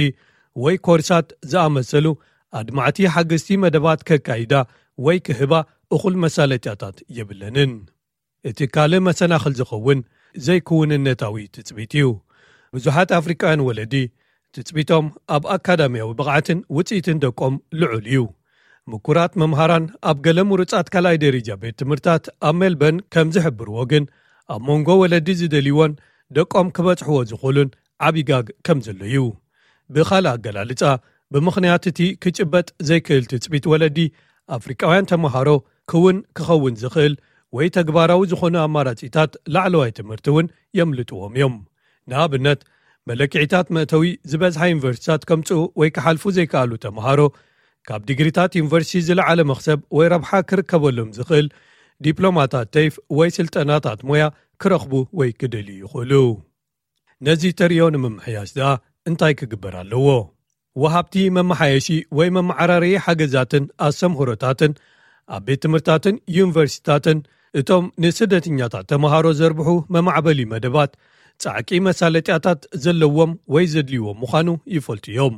ወይ ኮርሳት ዝኣመሰሉ ኣድማዕቲ ሓገዝቲ መደባት ከካይዳ ወይ ክህባ እኹል መሳለጥያታት የብለንን። እቲ ካልእ መሰናኽል ዝኸውን ዘይክውንነታዊ ትጽቢት እዩ። ብዙሓት ኣፍሪቃውያን ወለዲ ትጽቢቶም ኣብ ኣካዳሚያዊ ብቕዓትን ውጽኢትን ደቆም ልዑል እዩ። ምኩራት መምሃራን ኣብ ገለ ምሩጻት ካልኣይ ደረጃ ቤት ትምህርታት ኣብ ሜልበርን ከም ዝሕብርዎ ግን፣ ኣብ መንጎ ወለዲ ዝደልይዎን ደቆም ክበጽሕዎ ዝኽእሉን ዓቢ ጋግ ከም ዘሎ እዩ። ብኻልእ ኣገላልጻ፣ ብምኽንያት እቲ ክጭበጥ ዘይክእል ትጽቢት ወለዲ፣ ኣፍሪቃውያን ተምሃሮ ክውን ክኸውን ዝኽእል ወይ ተግባራዊ ዝኾነ ኣማራጺታት ላዕለዋይ ትምህርቲ እውን የምልጥዎም እዮም። ንኣብነት፣ መለክዒታት መእተዊ ዝበዝሓ ዩኒቨርሲታት ከምጽኡ ወይ ክሓልፉ ዘይከኣሉ ተምሃሮ፣ ካብ ዲግሪታት ዩኒቨርሲቲ ዝለዓለ መኽሰብ ወይ ረብሓ ክርከበሎም ዝኽእል ዲፕሎማታት ተይፍ ወይ ስልጠናታት ሞያ ክረኽቡ ወይ ክደልዩ ይኽእሉ። ነዚ ተርእዮ ንምምሕያሽ ደኣ እንታይ ክግበር ኣለዎ? ወሃብቲ መመሓየሺ ወይ መመዓራረዪ ሓገዛትን ኣስተምህሮታትን ኣብ ቤት ትምህርታትን ዩኒቨርሲታትን፣ እቶም ንስደተኛታት ተምሃሮ ዘርብሑ መማዕበሊ መደባት፣ ጻዕቂ መሳለጥያታት ዘለዎም ወይ ዘድልይዎም ምዃኑ ይፈልጡ እዮም።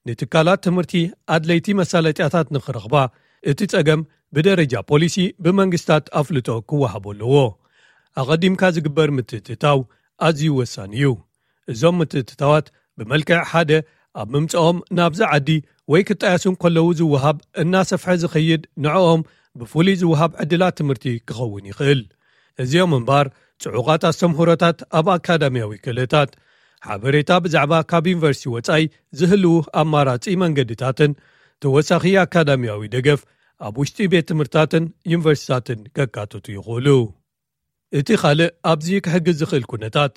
ንትካላት ትምህርቲ ኣድለይቲ መሳለጥያታት ንኽረኽባ፣ እቲ ጸገም ብደረጃ ፖሊሲ ብመንግስታት ኣፍልጦ ክወሃቦ ኣለዎ። ኣቐዲምካ ዝግበር ምትእትታው ኣዝዩ ወሳኒ እዩ። እዞም ምትእትታዋት ብመልክዕ ሓደ፣ ኣብ ምምጽኦም ናብዛ ዓዲ ወይ ክጣየሱ እንከለዉ ዝወሃብ እናሰፍሐ ዝኸይድ፣ ንዕኦም ብፍሉይ ዝወሃብ ዕድላት ትምህርቲ ክኸውን ይኽእል። እዚኦም እምበኣር፣ ጽዑቓት ኣስተምህሮታት ኣብ ኣካዳሚያዊ ክእለታት፣ ሓበሬታ ብዛዕባ ካብ ዩኒቨርሲቲ ወጻኢ ዝህልዉ ኣማራጺ መንገድታትን ተወሳኺ ኣካዳሚያዊ ደገፍ ኣብ ውሽጢ ቤት ትምህርትታትን ዩኒቨርሲታትን ከካትቱ ይኽእሉ። እቲ ካልእ ኣብዚ ክሕግዝ ዝኽእል ኩነታት፣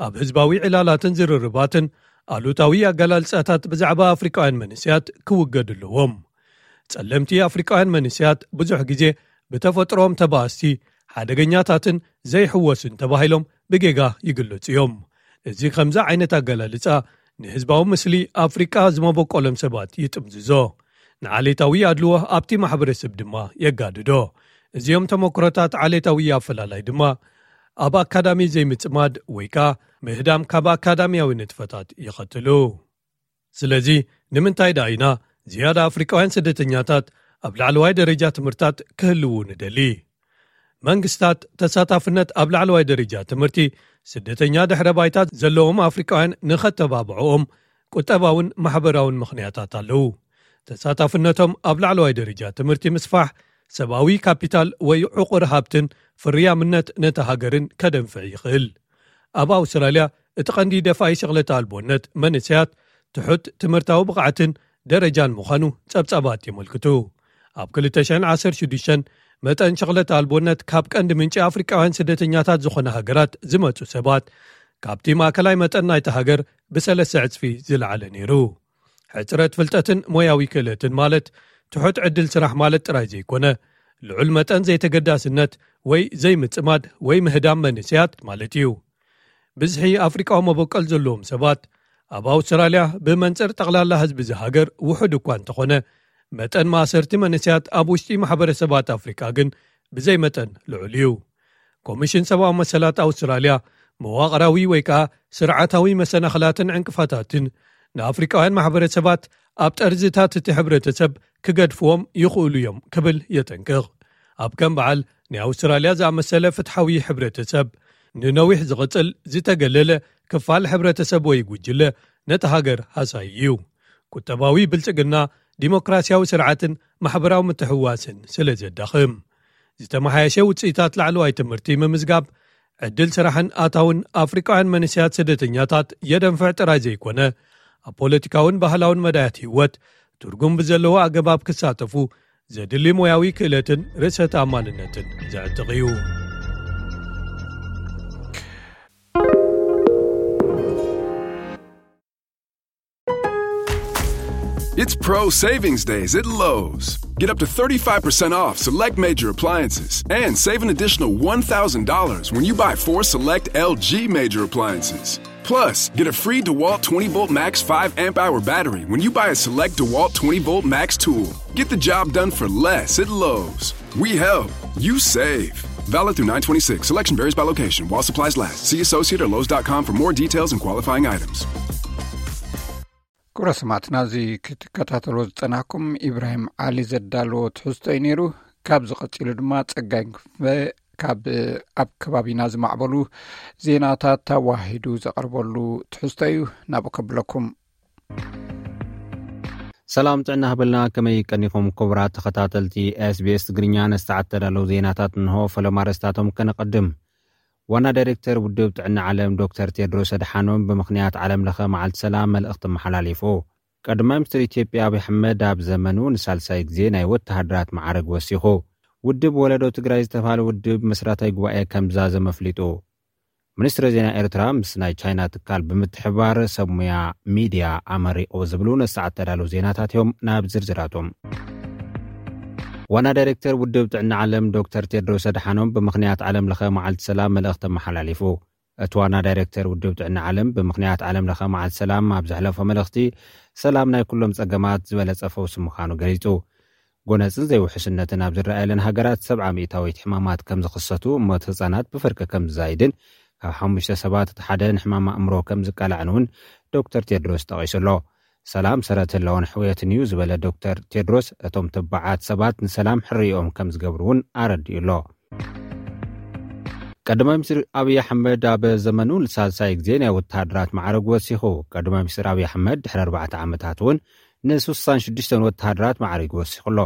ኣብ ህዝባዊ ዕላላትን ዝርርባትን ኣሉታዊ ኣገላልጻታት ብዛዕባ ኣፍሪቃውያን መንእሰያት ክውገዱ ኣለዎም። ጸለምቲ ኣፍሪቃውያን መንእሰያት ብዙሕ ግዜ ብተፈጥሮኦም ተባኣስቲ፣ ሓደገኛታትን ዘይሕወሱን ተባሂሎም ብጌጋ ይግለጹ እዮም። እዚ ከምዚ ዓይነት ኣገላልጻ ንህዝባዊ ምስሊ ኣፍሪቃ ዝመበቆሎም ሰባት ይጥምዝዞ። ንዓሌታዊ ኣድልዎ ኣብቲ ማሕበረሰብ ድማ የጋድዶ። እዚኦም ተመክሮታት ዓሌታዊ ኣፈላላይ ድማ ኣብ ኣካዳሚ ዘይምጽማድ ወይ ከኣ ምህዳም ካብ ኣካዳሚያዊ ንጥፈታት ይኸትሉ። ስለዚ፣ ንምንታይ ደኣ ኢና ዝያዳ ኣፍሪቃውያን ስደተኛታት ኣብ ላዕለዋይ ደረጃ ትምህርታት ክህልዉ ንደሊ? መንግስታት ተሳታፍነት ኣብ ላዕለዋይ ደረጃ ትምህርቲ ስደተኛ ድሕረ ባይታ ዘለዎም ኣፍሪቃውያን ንኸተባብዕኦም ቁጠባውን ማሕበራውን ምኽንያታት ኣለዉ። ተሳታፍነቶም ኣብ ላዕለዋይ ደረጃ ትምህርቲ ምስፋሕ፣ ሰብኣዊ ካፒታል ወይ ዕቑር ሃብትን ፍርያምነት ነታ ሃገርን ከደንፍዕ ይኽእል። ኣብ ኣውስትራልያ፣ እቲ ቀንዲ ደፋኢ ሸቕለታ ኣልቦነት መንእሰያት ትሑት ትምህርታዊ ብቕዓትን ደረጃን ምዃኑ ጸብጻባት የመልክቱ። ኣብ ክልተ ሽሕን ዓሰርተ ሽዱሽተን፣ መጠን ሸቕለታ ኣልቦነት ካብ ቀንዲ ምንጪ ኣፍሪቃውያን ስደተኛታት ዝኾነ ሃገራት ዝመጹ ሰባት፣ ካብቲ ማእከላይ መጠን ናይቲ ሃገር ብሰለስተ ዕጽፊ ዝለዓለ ነይሩ። ሕጽረት ፍልጠትን ሞያዊ ክእለትን፣ ማለት ትሑት ዕድል ስራሕ ማለት ጥራይ ዘይኮነ፣ ልዑል መጠን ዘይተገዳስነት ወይ ዘይምጽማድ ወይ ምህዳም መንእሰያት ማለት እዩ። ብዝሒ ኣፍሪቃዊ መበቆል ዘለዎም ሰባት ኣብ ኣውስትራልያ ብመንጽር ጠቕላላ ህዝቢ እዚ ሃገር ውሑድ እኳ እንተኾነ፣ መጠን ማእሰርቲ መንእሰያት ኣብ ውሽጢ ማሕበረሰባት ኣፍሪቃ ግን ብዘይ መጠን ልዑል እዩ። ኮሚሽን ሰብኣዊ መሰላት ኣውስትራልያ፣ መዋቕራዊ ወይ ከኣ ስርዓታዊ መሰናኽላትን ዕንቅፋታትን ንኣፍሪቃውያን ማሕበረሰባት ኣብ ጠርዝታት እቲ ሕብረተሰብ ክገድፍዎም ይኽእሉ እዮም ክብል የጠንቅቕ። ኣብ ከም በዓል ናይ ኣውስትራልያ ዝኣመሰለ ፍትሓዊ ሕብረተሰብ፣ ንነዊሕ ዝቕጽል ዝተገለለ ክፋል ሕብረተሰብ ወይ ጉጅለ ነቲ ሃገር ሃሳይ እዩ። ቁጠባዊ ብልጽግና፣ ዲሞክራሲያዊ ስርዓትን ማሕበራዊ ምትሕውዋስን ስለ ዘዳኽም። ዝተመሓየሸ ውጽኢታት ላዕለዋይ ትምህርቲ ምምዝጋብ፣ ዕድል ስራሕን ኣታውን ኣፍሪቃውያን መንእሰያት ስደተኛታት የደንፍዕ ጥራይ ዘይኮነ፣ ኣብ ፖለቲካውን ባህላውን መዳያት ህይወት ትርጉም ብዘለዎ ኣገባብ ክሳተፉ ዘድሊ ሞያዊ ክእለትን ርእሰ ተኣማንነትን ዘዕጥቕ እዩ። It's Pro Savings Days at Lowe's. Get up to thirty-five percent off select major appliances and save an additional one thousand dollars when you buy four select L G major appliances. Plus, get a free DeWalt twenty volt max five amp hour battery when you buy a select DeWalt twenty volt max tool. Get the job done for less at Lowe's. We help, you save. Valid through nine twenty-six. Selection varies by location while supplies last. See associate or Lowe's dot com for more details and qualifying items. ክቡራት ሰማዕትና፣ እዚ ክትከታተልዎ ዝጸናሕኩም ኢብራሂም ዓሊ ዘዳለዎ ትሕዝቶ እዩ ነይሩ። ካብዚ ቀጺሉ ድማ ጸጋይ ክንፈ ካብ ኣብ ከባቢና ዝማዕበሉ ዜናታት ተዋሂዱ ዘቕርበሉ ትሕዝቶ እዩ። ናብኡ ከብለኩም። ሰላም ጥዕና ሃበልና፣ ከመይ ቀኒኹም ክቡራት ተኸታተልቲ ኤስቢኤስ ትግርኛ? ነዚ ሰዓት ተዳለዉ ዜናታት እንሆ። ፈለማ ኣርእስታቶም ከነቐድም። ዋና ዳይሬክተር ውድብ ጥዕና ዓለም ዶክተር ቴድሮስ ኣድሓኖም ብምኽንያት ዓለም ለኸ መዓልቲ ሰላም መልእኽቲ ኣመሓላሊፉ። ቀዳማይ ሚኒስትር ኢትዮጵያ ኣብይ ኣሕመድ ኣብ ዘመኑ ንሳልሳይ ግዜ ናይ ወተሃደራት መዓርግ ወሲኹ። ውድብ ወለዶ ትግራይ ዝተባህለ ውድብ መስራታይ ጉባኤ ከም ዝዛዘመ ኣፍሊጡ። ሚኒስትሪ ዜና ኤርትራ ምስ ናይ ቻይና ትካል ብምትሕባር ሰብ ሙያ ሚድያ ኣመሪቑ ዝብሉ ነዚ ሰዓት ተዳለዉ ዜናታት እዮም። ናብ ዝርዝራቶም። ዋና ዳይሬክተር ውድብ ጥዕና ዓለም ዶክተር ቴድሮስ ኣድሓኖም ብምኽንያት ዓለም ለኸ መዓልቲ ሰላም መልእኽቲ ኣመሓላሊፉ። እቲ ዋና ዳይሬክተር ውድብ ጥዕና ዓለም ብምኽንያት ዓለም ለኸ መዓልቲ ሰላም ኣብ ዘሕለፎ መልእኽቲ፣ ሰላም ናይ ኩሎም ጸገማት ዝበለጸ ፈውሲ ምዃኑ ገሊጹ። ጎነጽን ዘይውሕስነትን ኣብ ዝረኣየለን ሃገራት ሰብዓ ሚእታዊት ሕማማት ከም ዝኽሰቱ፣ ሞት ህጻናት ብፍርቂ ከም ዝዛይድን ካብ ሓሙሽተ ሰባት እቲ ሓደ ንሕማም ኣእምሮ ከም ዝቃላዕን እውን ዶክተር ቴድሮስ ጠቒሱ ኣሎ። ሰላም ሰረት ህላወን ሕውየትን እዩ ዝበለ ዶክተር ቴድሮስ፣ እቶም ተባዓት ሰባት ንሰላም ሕርይኦም ከም ዝገብሩ እውን ኣረዲኡ ኣሎ። ቀዳማይ ሚኒስትር ኣብይ ኣሕመድ ኣብ ዘመኑ ንሳልሳይ ግዜ ናይ ወተሃደራት ማዕረግ ወሲኹ። ቀዳማይ ሚኒስትር ኣብይ ኣሕመድ ድሕሪ ኣርባዕተ ዓመታት እውን ንስሳን ሽዱሽተን ወተሃደራት ማዕረግ ወሲኹ ኣሎ።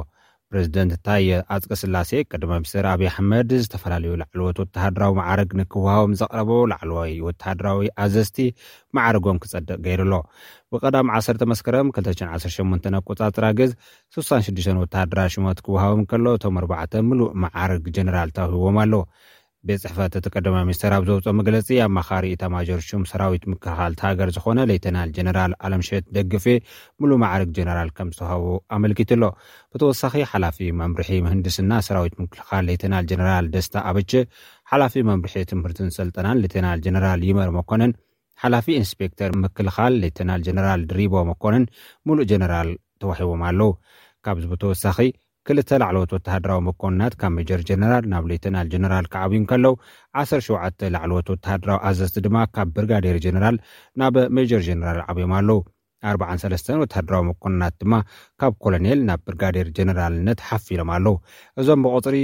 ፕሬዚደንት ታየ ኣጽቀ ስላሴ ቀዳማይ ሚኒስትር ኣብይ ኣሕመድ ዝተፈላለዩ ላዕለዎት ወተሃደራዊ ማዕረግ ንክወሃቦም ዘቕረቦ ላዕለዋይ ወተሃደራዊ ኣዘዝቲ ማዕረጎም ክጸድቕ ገይሩ ኣሎ። ብቐዳም ዓሰርተ መስከረም ክልተ ሽሕን ዓሰርተ ሸሞንተን ኣቆጻጽራ ግዝ ስሳን ሽዱሽተን ወተሃደራት ሽሞት ክወሃቦም ከሎ፣ እቶም ኣርባዕተ ምሉእ ማዕረግ ጀነራል ተዋሂቦም ኣሎ። ቤት ጽሕፈት እቲ ቀዳማይ ሚኒስትር ኣብ ዘውፅኦ መግለጺ፣ ኣማኻሪ ኢታማዦር ሹም ሰራዊት ምክልኻል እቲ ሃገር ዝኾነ ሌተናል ጀነራል ኣለምሸት ደግፌ ምሉእ ማዕረግ ጀነራል ከም ዝተዋህቦ ኣመልኪቱ ኣሎ። ብተወሳኺ፣ ሓላፊ መምርሒ ምህንድስና ሰራዊት ምክልኻል ሌተናል ጀነራል ደስታ ኣበቸ፣ ሓላፊ መምርሒ ትምህርትን ስልጠናን ሌተናል ጀነራል ይመር መኮንን፣ ሓላፊ ኢንስፔክተር ምክልኻል ሌተናል ጀነራል ድሪቦ መኮንን ምሉእ ጀነራል ተዋሂቦም ኣለዉ። ካብዚ ብተወሳኺ፣ ክልተ ላዕለዎት ወተሃደራዊ መኮንናት ካብ ሜጀር ጀነራል ናብ ሌተናል ጀነራል ክዓብዩ እንከለዉ፣ ዓሰርተ ሸውዓተ ላዕለዎት ወተሃደራዊ ኣዘዝቲ ድማ ካብ ብርጋዴር ጀነራል ናብ ሜጀር ጀነራል ዓብዮም ኣለዉ። ኣርባዓን ሰለስተን ወተሃደራዊ መኮንናት ድማ ካብ ኮሎኔል ናብ ብርጋዴር ጀነራልነት ሓፍ ኢሎም ኣለዉ። እዞም ብቑጽሪ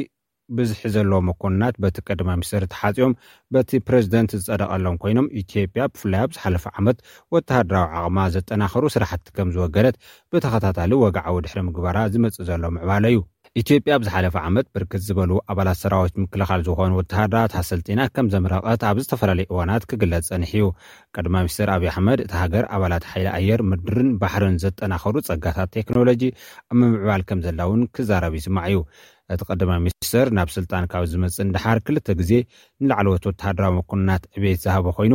ብዝሒ ዘለዎም መኮንናት በቲ ቀዳማይ ሚኒስትር ተሓጺኦም በቲ ፕሬዚደንት ዝጸደቐሎም ኮይኖም፣ ኢትዮጵያ ብፍላይ ኣብ ዝሓለፈ ዓመት ወተሃደራዊ ዓቕማ ዘጠናኸሩ ስራሕቲ ከም ዝወገደት ብተኸታታሊ ወግዓዊ ድሕሪ ምግባራ ዝመጽእ ዘሎ ምዕባለ እዩ። ኢትዮጵያ ኣብ ዝሓለፈ ዓመት ብርክት ዝበሉ ኣባላት ሰራዊት ምክልኻል ዝኾኑ ወተሃደራት ኣሰልጢና ከም ዘምረቐት ኣብ ዝተፈላለዩ እዋናት ክግለጽ ጸኒሑ እዩ። ቀዳማይ ሚኒስትር ኣብይ ኣሕመድ፣ እታ ሃገር ኣባላት ሓይሊ ኣየር፣ ምድርን ባሕርን ዘጠናኸሩ ጸጋታት ቴክኖሎጂ ኣብ ምምዕባል ከም ዘላ እውን ክዛረብ ይስማዕ እዩ። እቲ ቀዳማይ ሚኒስትር ናብ ስልጣን ካብ ዝመጽእ ንደሓር ክልተ ግዜ ንላዕለዎት ወተሃደራዊ መኮንናት ዕቤት ዝሃበ ኮይኑ፣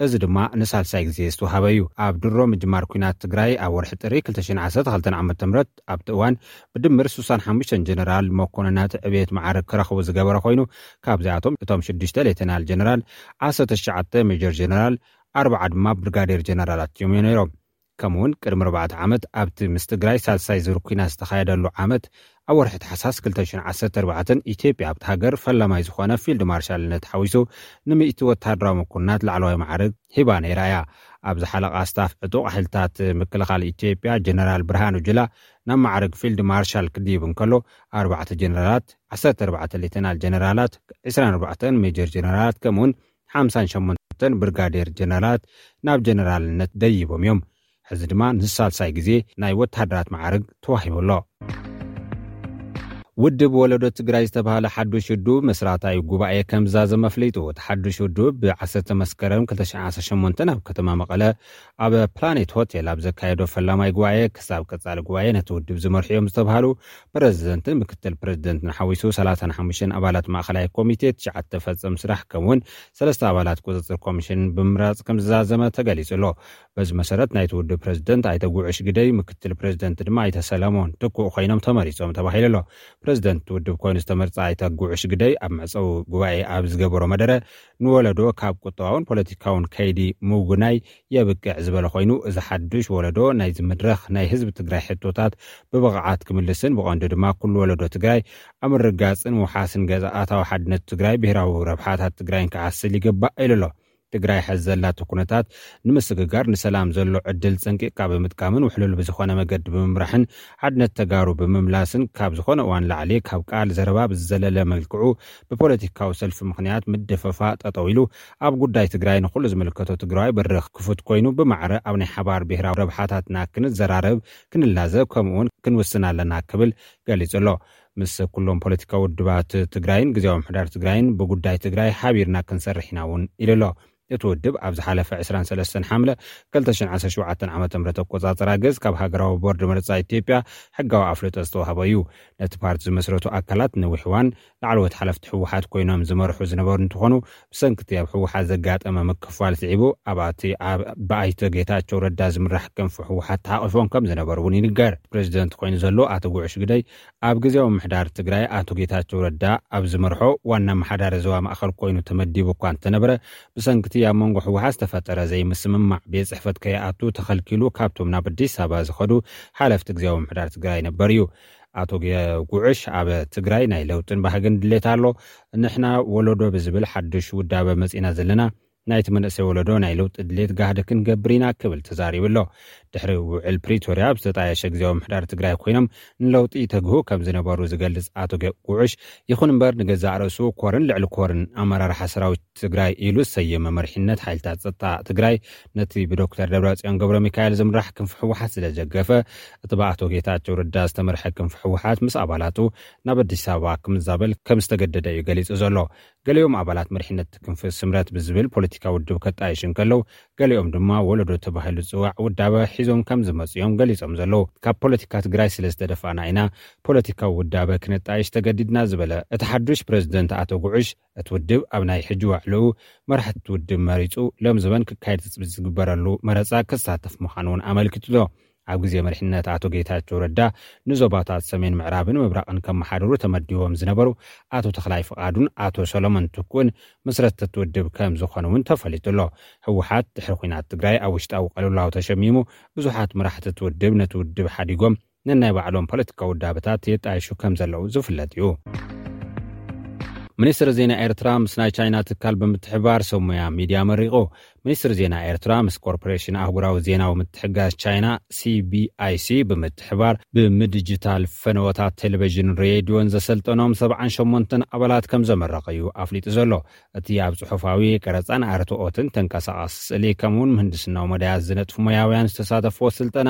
እዚ ድማ ንሳልሳይ ግዜ ዝተዋሃበ እዩ። ኣብ ድሮ ምጅማር ኲናት ትግራይ ኣብ ወርሒ ጥሪ ክልተ ሽሕን ዓሰርተ ክልተን ዓመተ ምህረት ኣብቲ እዋን ብድምር ስሳን ሓሙሽተን ጀነራል መኮንናት ዕቤት መዓርግ ክረኽቡ ዝገበረ ኮይኑ፣ ካብዚኣቶም እቶም ሽዱሽተ ሌተናል ጀነራል፣ ዓሰርተ ትሽዓተ ሜጀር ጀነራል፣ ኣርባዓ ድማ ብርጋዴር ጀነራላት እዮም ነይሮም። ከምኡውን ቅድሚ ኣርባዕተ ዓመት ኣብቲ ምስ ትግራይ ሳልሳይ ዙር ኲናት ዝተኻየደሉ ዓመት፣ ኣብ ወርሒ ታሕሳስ ክልተ ሽሕን ዓሰርተ ኣርባዕተን ኢትዮጵያ ኣብቲ ሃገር ፈላማይ ዝኾነ ፊልድ ማርሻልነት ሓዊሱ ንሚእቲ ወተሃደራዊ መኮንናት ላዕለዋይ ማዕርግ ሂባ ነይራ እያ። ኣብ ዝሓለቓ ስታፍ ዕጡቕ ሓይልታት ምክልኻል ኢትዮጵያ ጀነራል ብርሃኑ ጁላ ናብ ማዕርግ ፊልድ ማርሻል ክድይብ እንከሎ፣ ኣርባዕተ ጀነራላት፣ ዓሰርተ ኣርባዕተ ሌተናል ጀነራላት፣ ዕስራን ኣርባዕተን ሜጀር ጀነራላት ከምኡውን ሓምሳን ሸሞንተን ብርጋዴር ጀነራላት ናብ ጀነራልነት ደይቦም እዮም። ሕዚ ድማ ንሳልሳይ ግዜ ናይ ወተሃደራት ማዕርግ ተዋሂቡ ኣሎ። ውድብ ወለዶ ትግራይ ዝተባህለ ሓዱሽ ውድብ መስራታዊ ጉባኤ ከም ዝዛዘመ ኣፍሊጡ። እቲ ሓዱሽ ውድብ ብ ዓሰርተ መስከረም ክልተ ሽሕን ዓሰርተ ሸሞንተን ኣብ ከተማ መቐለ ኣብ ፕላኔት ሆቴል ኣብ ዘካየዶ ፈላማይ ጉባኤ፣ ክሳብ ቀጻሊ ጉባኤ ነቲ ውድብ ዝመርሑ እዮም ዝተባህሉ ፕረዚደንትን ምክትል ፕረዚደንትን ሓዊሱ ሰላሳን ሓሙሽተን ኣባላት ማእኸላይ ኮሚቴ፣ ትሽዓተ ፈጸም ስራሕ ከምኡውን ሰለስተ ኣባላት ቁጽጽር ኮሚሽን ብምምራጽ ከም ዝዛዘመ ተገሊጹ ኣሎ። በዚ መሰረት ናይቲ ውድብ ፕረዚደንት ኣይተ ጉዑሽ ግደይ፣ ምክትል ፕረዚደንት ድማ ኣይተ ሰለሞን ትኩእ ኮይኖም ተመሪጾም ተባሂሉ ኣሎ። ፕሬዚደንት ውድብ ኮይኑ ዝተመርጸ ኣይተ ጉዑሽ ግደይ ኣብ መዕጸዊ ጉባኤ ኣብ ዝገበሮ መደረ፣ ንወለዶ ካብ ቁጠባውን ፖለቲካውን ከይዲ ምውናይ የብቅዕ ዝበለ ኮይኑ፣ እዚ ሓዱሽ ወለዶ ናይዚ መድረኽ ናይ ህዝቢ ትግራይ ሕቶታት ብብቕዓት ክምልስን ብቐንዱ ድማ ኩሉ ወለዶ ትግራይ ኣብ ምርጋፅን ምውሓስን ገዛ ኣታዊ ሓድነት ትግራይ፣ ብሄራዊ ረብሓታት ትግራይን ክዓስል ይግባእ ኢሉ ኣሎ። ትግራይ ሐዚ ዘላቶ ኩነታት ንምስግጋር ንሰላም ዘሎ ዕድል ፀንቂቕካ ብምጥቃምን ውሕሉል ብዝኾነ መገዲ ብምምራሕን ሓድነት ተጋሩ ብምምላስን ካብ ዝኾነ እዋን ላዕሊ ካብ ቃል ዘረባ ብዝዘለለ መልክዑ ብፖለቲካዊ ሰልፊ ምኽንያት ምድፈፋ ጠጠው ኢሉ ኣብ ጉዳይ ትግራይ ንኹሉ ዝምልከቶ ትግራዋይ በሪ ክፉት ኮይኑ ብማዕረ ኣብ ናይ ሓባር ብሄራዊ ረብሓታትና ክንዘራረብ ክንላዘብ ከምኡውን ክንውስን ኣለና ክብል ገሊጹ ኣሎ። ምስ ኩሎም ፖለቲካዊ ውድባት ትግራይን ግዜያዊ ምሕዳር ትግራይን ብጉዳይ ትግራይ ሓቢርና ክንሰርሕ ኢና እውን ኢሉ ኣሎ። እቲ ውድብ ኣብ ዝሓለፈ ዕስራን ሰለስተን ሓምለ ክልተ ሽሕን ዓሰርተ ሸውዓተን ዓመተ ምህረት ኣቆጻጽራ ገዝ ካብ ሃገራዊ ቦርድ መረጻ ኢትዮጵያ ሕጋዊ ኣፍልጦ ዝተዋህቦ እዩ። ነቲ ፓርቲ ዝመስረቱ ኣካላት ነዊሕ እዋን ላዕለዎት ሓለፍቲ ህወሓት ኮይኖም ዝመርሑ ዝነበሩ እንትኾኑ፣ ብሰንክቲ ኣብ ህወሓት ዘጋጠመ ምክፋል ስዒቡ ኣብቲ ኣብ ብኣይተ ጌታቸው ረዳ ዝምራሕ ክንፊ ህወሓት ተሓቒፎም ከም ዝነበሩ እውን ይንገር። ፕሬዚደንት ኮይኑ ዘሎ ኣቶ ጉዑሽ ግደይ ኣብ ግዜያዊ ምሕዳር ትግራይ ኣቶ ጌታቸው ረዳ ኣብ ዝመርሖ ዋና ኣመሓዳሪ ዞባ ማእኸል ኮይኑ ተመዲቡ እኳ እንተነበረ፣ ብሰንክቲ ኣብ መንጎ ህወሓት ዝተፈጠረ ዘይምስምማዕ ቤት ጽሕፈት ከይኣቱ ተኸልኪሉ ካብቶም ናብ ኣዲስ ኣበባ ዝኸዱ ሓለፍቲ ግዜያዊ ምሕዳር ትግራይ ነበር እዩ። ኣቶ ጌ- ጉዕሽ ኣብ ትግራይ ናይ ለውጥን ባህግን ድሌት ኣሎ። ንሕና ወለዶ ብዝብል ሓድሽ ውዳበ መጺና ዘለና ናይቲ መንእሰይ ወለዶ ናይ ለውጢ ድሌት ጋህዲ ክንገብር ኢና ክብል ተዛሪቡ ኣሎ። ድሕሪ ውዕል ፕሪቶርያ ኣብ ዝተጣየሸ ግዜያዊ ምሕዳር ትግራይ ኮይኖም ንለውጢ ተግሁ ከም ዝነበሩ ዝገልጽ ኣቶ ገ- ጉዕሽ፣ ይኹን እምበር ንገዛእ ርእሱ ኮርን ልዕሊ ኮርን ኣመራርሓ ሰራዊት ትግራይ ኢሉ ዝሰየመ መሪሕነት ሓይልታት ጸጥታ ትግራይ ነቲ ብዶክተር ደብረጽዮን ገብረ ሚካኤል ዝምራሕ ክንፊ ህወሓት ስለ ዘገፈ፣ እቲ ብኣቶ ጌታቸው ረዳ ዝተመርሐ ክንፊ ህወሓት ምስ ኣባላቱ ናብ ኣዲስ ኣበባ ክምዛበል ከም ዝተገደደ እዩ ገሊጹ ዘሎ። ገሊኦም ኣባላት መሪሕነት ክንፊ ስምረት ብዝብል ፖለቲካዊ ውድብ ከጣይሽ እንከለዉ፣ ገሊኦም ድማ ወለዶ ተባሂሉ ዝጽዋዕ ውዳበ ሒዞም ከም ዝመጹ እዮም ገሊጾም ዘለዉ። ካብ ፖለቲካ ትግራይ ስለ ዝተደፋእና ኢና ፖለቲካዊ ውዳበ ክነጣይሽ ተገዲድና ዝበለ እቲ ሓዱሽ ፕሬዚደንት ኣቶ ጉዕሽ፣ እቲ ውድብ ኣብ ናይ ሕጂ ዋዕልኡ መራሕቲ ውድብ መሪጹ ለምዝበን ክካየድ ትጽቢት ዝግበረሉ መረጻ ክሳተፍ ምዃኑ እውን ኣመልኪቱ ኣሎ። ኣብ ግዜ መሪሕነት ኣቶ ጌታቸው ረዳ ንዞባታት ሰሜን ምዕራብን ምብራቕን ከመሓድሩ ተመዲቦም ዝነበሩ ኣቶ ተኽላይ ፍቓዱን ኣቶ ሰሎሞን ትኩእን መስረትቲ ውድብ ከም ዝኾኑ እውን ተፈሊጡ ኣሎ። ህወሓት ድሕሪ ኲናት ትግራይ ኣብ ውሽጣዊ ቅልውላው ተሸሚሙ ብዙሓት መራሕቲ ውድብ ነቲ ውድብ ሓዲጎም ነናይ ባዕሎም ፖለቲካዊ ውዳበታት የጣይሹ ከም ዘለዉ ዝፍለጥ እዩ። ሚኒስትሪ ዜና ኤርትራ ምስ ናይ ቻይና ትካል ብምትሕባር ሰብ ሞያ ሚድያ መሪቑ። ሚኒስትሪ ዜና ኤርትራ ምስ ኮርፖሬሽን ኣህጉራዊ ዜናዊ ምትሕጋዝ ቻይና ሲቢኣይሲ ብምትሕባር ብምድጅታል ፈነወታት ቴሌቪዥን፣ ሬድዮን ዘሰልጠኖም ሰብዓን ሸሞንተን ኣባላት ከም ዘመረቐ እዩ ኣፍሊጡ ዘሎ። እቲ ኣብ ጽሑፋዊ ቀረጻን ኣርትኦትን ተንቀሳቓሲ ስእሊ ከምኡውን ምህንድስናዊ መዳያት ዝነጥፉ ሞያውያን ዝተሳተፍዎ ስልጠና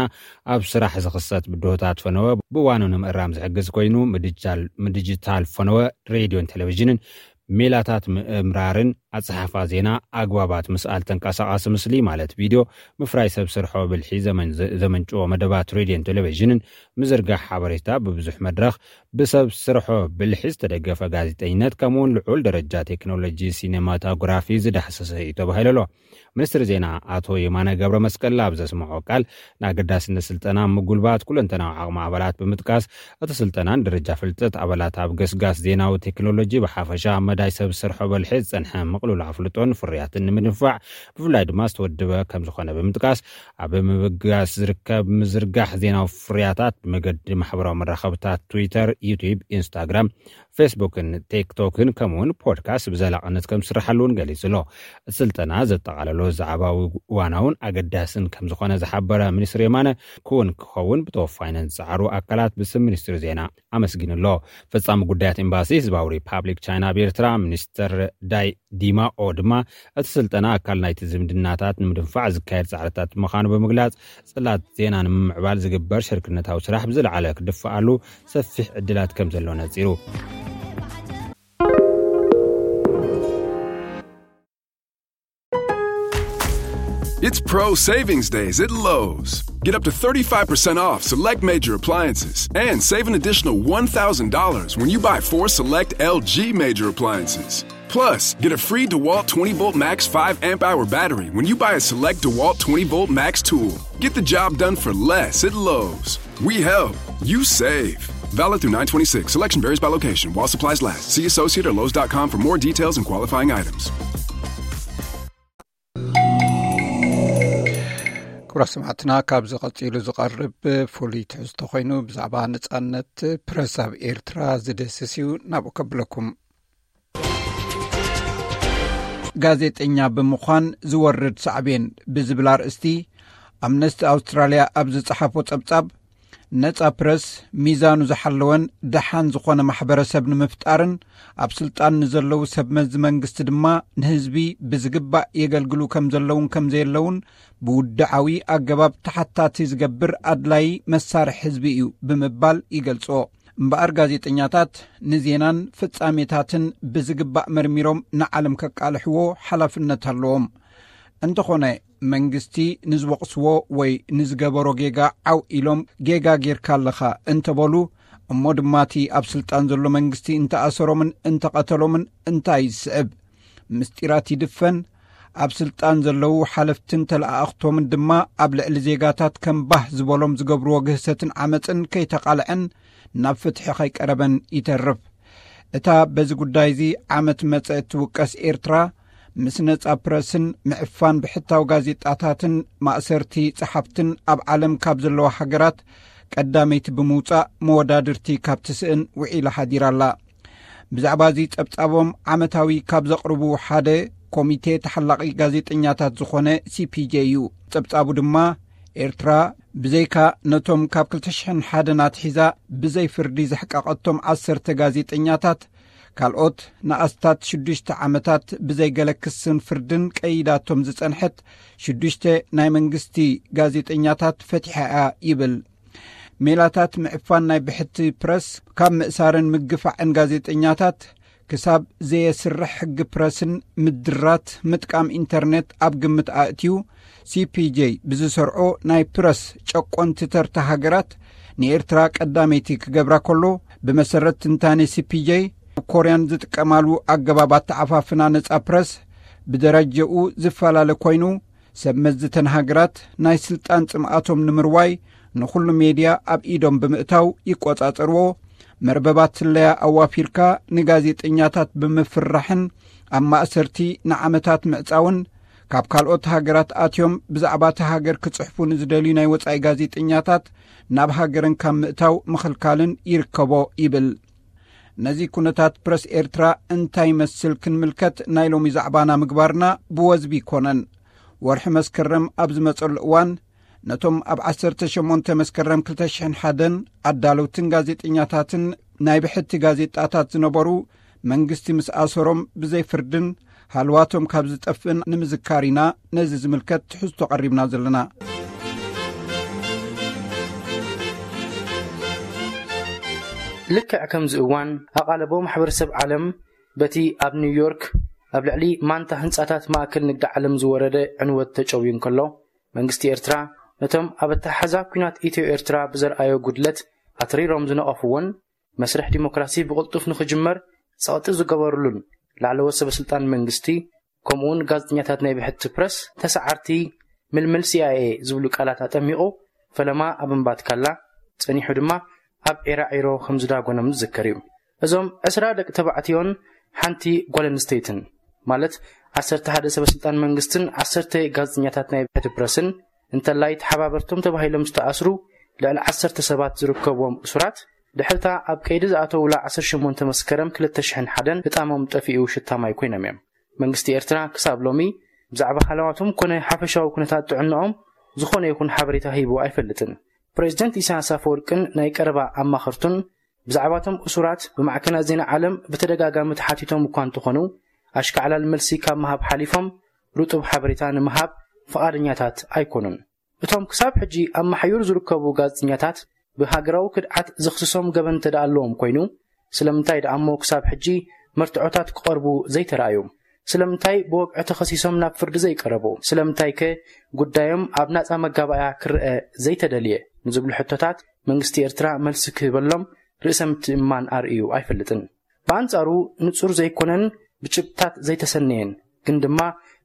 ኣብ ስራሕ ዝኽሰት ብድሆታት ፈነወ ብእዋኑ ንምእራም ዝሕግዝ ኮይኑ፣ ምድጃል- ምድጅታል ፈነወ ሬድዮን ቴሌቪዥንን ሜላታት ምእምራርን ኣጸሓሕፋ ዜና ኣግባባት ምስኣል ተንቀሳቓሲ ምስሊ ማለት ቪድዮ ምፍራይ ሰብ ስርሖ ብልሒ ዘመን- ዘመንጭዎ መደባት ሬድዮን ቴሌቪዥንን ምዝርጋሕ ሓበሬታ ብብዙሕ መድረኽ ብሰብ ስርሖ ብልሒ ዝተደገፈ ጋዜጠኝነት ከምኡውን ልዑል ደረጃ ቴክኖሎጂ ሲኔማቶግራፊ ዝዳህሰሰ እዩ ተባሂሉ ኣሎ። ሚኒስትሪ ዜና ኣቶ የማነ ገብረ መስቀል ኣብ ዘስምዖ ቃል ንኣገዳስነት ስልጠና ምጉልባት ኩለንተናዊ ዓቕሚ ኣባላት ብምጥቃስ እቲ ስልጠናን ደረጃ ፍልጠት ኣባላት ኣብ ገስጋስ ዜናዊ ቴክኖሎጂ ብሓፈሻ ኣብ መዳይ ሰብ ስርሖ በልሒ ዝጸንሐ ምቕሉል ኣፍልጦን ፍርያትን ንምድንፋዕ ብፍላይ ድማ ዝተወደበ ከም ዝኾነ ብምጥቃስ ኣብ ምብጋስ ዝርከብ ምዝርጋሕ ዜናዊ ፍርያታት ብመገዲ ማሕበራዊ መራኸብታት ትዊተር፣ ዩቲዩብ፣ ኢንስታግራም፣ ፌስቡክን ቲክቶክን ከምኡውን ፖድካስት ብዘላቕነት ከም ዝስርሓሉ እውን ገሊጹ ኣሎ። እቲ ስልጠና ዘጠቓለሎ ዛዕባዊ እዋናውን ኣገዳስን ከም ዝኾነ ዝሓበረ ሚኒስትር የማነ ክውን ክኸውን ብተወፋይነት ዝጸዓሩ ኣካላት ብስም ሚኒስትሪ ዜና ኣመስጊኑ ኣሎ። ፈጻሚ ጉዳያት ኤምባሲ ህዝባዊ ሪፓብሊክ ቻይና ኣብ ኤርትራ ሚኒስትር ዳይ ዲማኦ ድማ እቲ ስልጠና ኣካል ናይቲ ዝምድናታት ንምድንፋዕ ዝካየድ ጻዕርታት ምዃኑ ብምግላጽ ጽላት ዜና ንምምዕባል ዝግበር ሽርክነታዊ ስራሕ ብዝለዓለ ክድፍኣሉ ሰፊሕ ዕድላት ከም ዘሎ ነጺሩ። It's Pro Savings Days at Lowe's. Get up to thirty-five percent off select major appliances and save an additional one thousand dollars when you buy four select L G major appliances. Plus, get a free DeWalt twenty volt Max five amp hour battery when you buy a select DeWalt twenty volt Max tool. Get the job done for less at Lowe's. We help, you save. Valid through nine twenty-six. Selection varies by location while supplies last. See associate or Lowe's dot com for more details and qualifying items. ክቡራት ሰማዕትና፣ ካብዚ ቀጺሉ ዝቐርብ ፍሉይ ትሕዝቶ ኮይኑ ብዛዕባ ነጻነት ፕረስ ኣብ ኤርትራ ዝደስስ እዩ። ናብኡ ከብለኩም። ጋዜጠኛ ብምዃን ዝወርድ ሳዕቤን ብዝብል ኣርእስቲ ኣምነስቲ ኣውስትራልያ ኣብ ዝጸሓፎ ጸብጻብ፣ ነጻ ፕረስ ሚዛኑ ዝሓለወን ደሓን ዝኾነ ማሕበረሰብ ንምፍጣርን ኣብ ስልጣን ንዘለዉ ሰብ መዚ መንግስቲ ድማ ንህዝቢ ብዝግባእ የገልግሉ ከም ዘለውን ከም ዘየለውን ብውድዓዊ ኣገባብ ተሓታቲ ዝገብር ኣድላይ መሳርሒ ህዝቢ እዩ ብምባል ይገልጾ። እምበኣር ጋዜጠኛታት ንዜናን ፍጻሜታትን ብዝግባእ መርሚሮም ንዓለም ከቃልሕዎ ሓላፍነት ኣለዎም። እንተኾነ መንግስቲ ንዝወቕስዎ ወይ ንዝገበሮ ጌጋ ዓው ኢሎም ጌጋ ጌርካ ኣለኻ እንተበሉ፣ እሞ ድማ እቲ ኣብ ስልጣን ዘሎ መንግስቲ እንተኣሰሮምን እንተቐተሎምን እንታይ ዝስዕብ? ምስጢራት ይድፈን። ኣብ ስልጣን ዘለዉ ሓለፍትን ተለኣኣኽቶምን ድማ ኣብ ልዕሊ ዜጋታት ከም ባህ ዝበሎም ዝገብርዎ ግህሰትን ዓመፅን ከይተቓልዐን ናብ ፍትሒ ከይቀረበን ይተርፍ። እታ በዚ ጉዳይ እዚ ዓመት መጸ እትውቀስ ኤርትራ፣ ምስ ነጻ ፕረስን ምዕፋን ብሕታዊ ጋዜጣታትን ማእሰርቲ ጸሓፍትን ኣብ ዓለም ካብ ዘለዋ ሃገራት ቀዳመይቲ ብምውጻእ መወዳድርቲ ካብ ትስእን ውዒላ ሓዲራ ኣላ። ብዛዕባ እዚ ጸብጻቦም ዓመታዊ ካብ ዘቕርቡ ሓደ ኮሚቴ ተሓላቒ ጋዜጠኛታት ዝኾነ ሲ ፒ ጄ እዩ። ጸብጻቡ ድማ ኤርትራ ብዘይካ ነቶም ካብ ክልተ ሽሕን ሓደን ኣትሒዛ ብዘይ ፍርዲ ዘሕቀቐቶም ዓሰርተ ጋዜጠኛታት፣ ካልኦት ንኣስታት ሽዱሽተ ዓመታት ብዘይ ገለ ክስን ፍርድን ቀይዳቶም ዝጸንሐት ሽዱሽተ ናይ መንግስቲ ጋዜጠኛታት ፈቲሓ እያ ይብል። ሜላታት ምዕፋን ናይ ብሕቲ ፕረስ፣ ካብ ምእሳርን ምግፋዕን ጋዜጠኛታት ክሳብ ዘየስርሕ ሕጊ ፕረስን ምድራት ምጥቃም ኢንተርኔት ኣብ ግምት ኣእትዩ፣ ሲ ፒ ጄ ብዝሰርዖ ናይ ፕረስ ጨቆንቲ ተርታ ሃገራት ንኤርትራ ቀዳመይቲ ክገብራ ከሎ፣ ብመሰረት ትንታኔ ሲ ፒ ጄ፣ ኮርያን ዝጥቀማሉ ኣገባብ ኣተዓፋፍና ነጻ ፕረስ ብደረጀኡ ዝፈላለ ኮይኑ፣ ሰብ መዚ ተን ሃገራት ናይ ስልጣን ጽምኣቶም ንምርዋይ ንኹሉ ሜድያ ኣብ ኢዶም ብምእታው ይቆጻጸርዎ። መርበባት ስለያ ኣዋፊርካ ንጋዜጠኛታት ብምፍርራሕን ኣብ ማእሰርቲ ንዓመታት ምዕጻውን፣ ካብ ካልኦት ሃገራት ኣትዮም ብዛዕባ እታ ሃገር ክጽሕፉ ንዝደልዩ ናይ ወጻኢ ጋዜጠኛታት ናብ ሃገረን ካብ ምእታው ምኽልካልን ይርከቦ ይብል። ነዚ ኩነታት ፕረስ ኤርትራ እንታይ ይመስል ክንምልከት ናይ ሎሚ ዛዕባና ምግባርና ብወዝቢ ይኮነን። ወርሒ መስከረም ኣብ ዝመጸሉ እዋን፣ ነቶም ኣብ ዓሰርተ ሸሞንተ መስከረም ክልተ ሽሕን ሓደን ኣዳለውትን ጋዜጠኛታትን ናይ ብሕቲ ጋዜጣታት ዝነበሩ መንግስቲ ምስ ኣሰሮም ብዘይ ፍርድን ሃልዋቶም ካብ ዝጠፍእን ንምዝካር ኢና ነዚ ዝምልከት ትሕዝቶ ቀሪብና ዘለና። ልክዕ ከምዚ እዋን ኣቓልቦ ማሕበረሰብ ዓለም በቲ ኣብ ኒውዮርክ ኣብ ልዕሊ ማንታ ህንጻታት ማእከል ንግዲ ዓለም ዝወረደ ዕንወት ተጨውዩ እንከሎ፣ መንግስቲ ኤርትራ ነቶም ኣብ ኣተሓሕዛ ኲናት ኢትዮ ኤርትራ ብዘርኣዮ ጉድለት ኣትሪሮም ዝነቐፍዎን፣ መስርሕ ዲሞክራሲ ብቕልጡፍ ንኽጅመር ጸቕጢ ዝገበሩሉን ላዕለዎት ሰበ ስልጣን መንግስቲ፣ ከምኡውን ጋዜጠኛታት ናይ ብሕቲ ፕረስ፣ ተሰዓርቲ ምልምል ሲ ኣይ ኤ ዝብሉ ቃላት ኣጠሚቑ ፈለማ ኣብ እምባትካላ፣ ጸኒሑ ድማ ኣብ ዒራዒሮ ከም ዝዳጎኖም ዝዝከር እዩ። እዞም ዕስራ ደቂ ተባዕትዮን ሓንቲ ጓል ኣንስተይትን፣ ማለት ዓሰርተ ሓደ ሰበ ስልጣን መንግስትን ዓሰርተ ጋዜጠኛታት ናይ ብሕቲ ፕረስን፣ እንተላይ ተሓባበርቶም ተባሂሎም ዝተኣስሩ ልዕሊ ዓሰርተ ሰባት ዝርከብዎም እሱራት፣ ድሕርታ ኣብ ቀይዲ ዝኣተውላ ዓሰርተ ሸሞንተ መስከረም ክልተ ሽሕን ሓደን ህጣሞም ጠፊኡ ሽታማይ ኮይኖም እዮም። መንግስቲ ኤርትራ ክሳብ ሎሚ ብዛዕባ ሃለዋቶም ኮነ ሓፈሻዊ ኩነታት ጥዕናኦም ዝኾነ ይኹን ሓበሬታ ሂቡ ኣይፈልጥን። ፕሬዚደንት ኢሳያስ ኣፈወርቅን ናይ ቀረባ ኣማኸርቱን ብዛዕባቶም እሱራት ብማዕከናት ዜና ዓለም ብተደጋጋሚ ተሓቲቶም እኳ እንተኾኑ፣ ኣሽካዕላል መልሲ ካብ ምሃብ ሓሊፎም ርጡብ ሓበሬታ ንምሃብ ፍቓደኛታት ኣይኮኑን። እቶም ክሳብ ሕጂ ኣብ ማሕዩር ዝርከቡ ጋዜጠኛታት ብሃገራዊ ክድዓት ዝኽስሶም ገበን እንተ ደኣ ኣለዎም ኮይኑ፣ ስለምንታይ ደኣ እሞ ክሳብ ሕጂ መርትዖታት ክቐርቡ ዘይተራእዩ? ስለምንታይ ብወግዒ ተኸሲሶም ናብ ፍርዲ ዘይቀረቡ? ስለምንታይከ ጉዳዮም ኣብ ናጻ መጋባእያ ክረኣ ዘይተደልየ? ንዝብሉ ሕቶታት መንግስቲ ኤርትራ መልሲ ክህበሎም ርእሰ ምትእምማን ኣርእዩ ኣይፈልጥን። ብኣንጻሩ ንጹር ዘይኮነን ብጭብጥታት ዘይተሰነየን ግን ድማ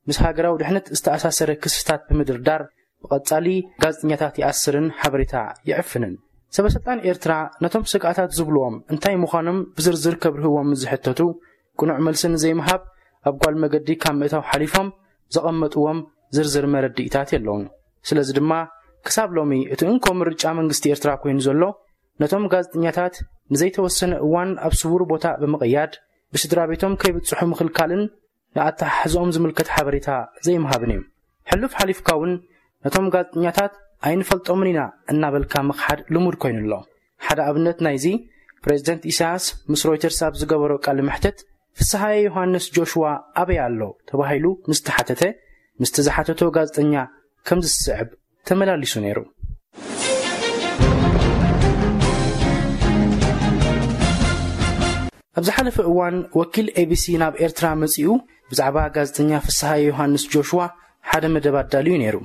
ምስ ሃገራዊ ድሕነት ዝተኣሳሰረ ክስታት ብምድርዳር ብቐጻሊ ጋዜጠኛታት ይኣስርን ሓበሬታ ይዕፍንን። ሰበስልጣን ኤርትራ ነቶም ስግኣታት ዝብልዎም እንታይ ምዃኖም ብዝርዝር ከብርህዎም ዝሕተቱ፣ ቅኑዕ መልሲ ንዘይምሃብ ኣብ ጓል መገዲ ካብ ምእታው ሓሊፎም ዘቐመጥዎም ዝርዝር መረድኢታት የለውን። ስለዚ ድማ ክሳብ ሎሚ እቲ እንኮ ምርጫ መንግስቲ ኤርትራ ኮይኑ ዘሎ፣ ነቶም ጋዜጠኛታት ንዘይተወሰነ እዋን ኣብ ስውር ቦታ ብምቕያድ ብስድራ ቤቶም ከይብጽሑ ምኽልካልን ንኣተሓሕዝኦም ዝምልከት ሓበሬታ ዘይምሃብን እዩ። ሕሉፍ ሓሊፍካ እውን ነቶም ጋዜጠኛታት ኣይንፈልጦምን ኢና እናበልካ ምኽሓድ ልሙድ ኮይኑ ኣሎ። ሓደ ኣብነት ናይዚ፣ ፕሬዚደንት ኢሳያስ ምስ ሮይተርስ ኣብ ዝገበሮ ቃለ መሕትት፣ ፍስሃየ ዮሃንስ ጆሽዋ ኣበይ ኣሎ ተባሂሉ ምስ ተሓተተ፣ ምስቲ ዝሓተቶ ጋዜጠኛ ከም ዝስዕብ ተመላሊሱ ነይሩ። ኣብ ዝሓለፈ እዋን ወኪል ኤቢሲ ናብ ኤርትራ መጺኡ ብዛዕባ ጋዜጠኛ ፍስሃየ ዮሃንስ ጆሽዋ ሓደ መደብ ኣዳልዩ ነይሩ።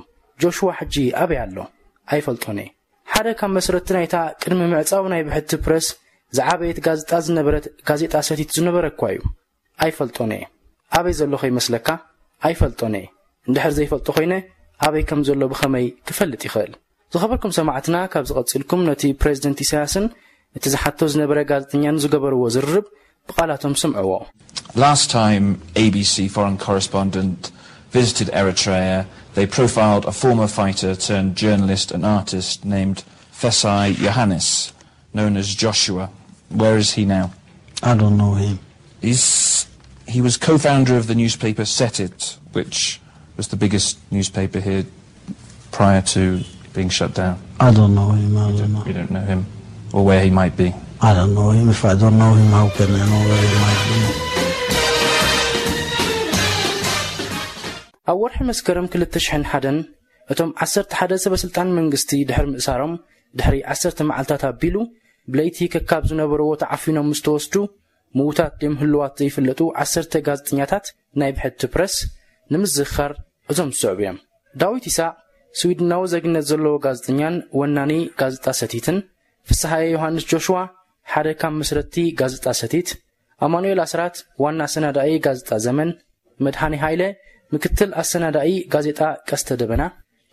ጆሽዋ ሕጂ ኣበይ ኣሎ? ኣይፈልጦን እየ። ሓደ ካብ መስረቲ ናይታ ቅድሚ ምዕጻው ናይ ብሕቲ ፕረስ ዝዓበየት ጋዜጣ ዝነበረት ጋዜጣ ሰቲት ዝነበረ እኳ እዩ። ኣይፈልጦን እየ። ኣበይ ዘሎ ከይመስለካ? ኣይፈልጦን እየ። እንድሕር ዘይፈልጦ ኮይነ ኣበይ ከም ዘሎ ብኸመይ ክፈልጥ ይኽእል? ዝኸበርኩም ሰማዕትና፣ ካብ ዝቐጽልኩም ነቲ ፕሬዚደንት ኢሳያስን እቲ ዝሓቶ ዝነበረ ጋዜጠኛን ዝገበርዎ ዝርርብ ብቓላቶም ስምዕዎ። Last time A B C foreign correspondent visited Eritrea, they profiled a former fighter turned journalist and artist named Fesai Yohannes, known as Joshua. Where is he now? I don't know him. He's, he was co-founder of the newspaper Setit, which was the biggest newspaper here prior to being shut down. I don't know him. I You don't don't, know. You don't know him or where he might be. I don't know him. If I don't know him, how can I know where he might be? ኣብ ወርሒ መስከረም ክልተ ሽሕን ሓደን እቶም ዓሰርተ ሓደ ሰበ ስልጣን መንግስቲ ድሕሪ ምእሳሮም ድሕሪ ዓሰርተ መዓልታት ኣቢሉ ብለይቲ ከካብ ዝነበርዎ ተዓፊኖም ምስ ተወስዱ ምዉታት ድዮም ህልዋት ዘይፍለጡ ዓሰርተ ጋዜጠኛታት ናይ ብሕቲ ፕረስ ንምዝኽኻር እዞም ዝስዕቡ እዮም። ዳዊት ይሳቕ ስዊድናዊ ዜግነት ዘለዎ ጋዜጠኛን ወናኒ ጋዜጣ ሰቲትን፣ ፍስሃየ ዮሃንስ ጆሽዋ ሓደ ካብ መስረትቲ ጋዜጣ ሰቲት፣ ኣማኑኤል ኣስራት ዋና ኣሰናዳኢ ጋዜጣ ዘመን፣ መድሃኔ ሃይለ ምክትል ኣሰናዳኢ ጋዜጣ ቀስተ ደበና፣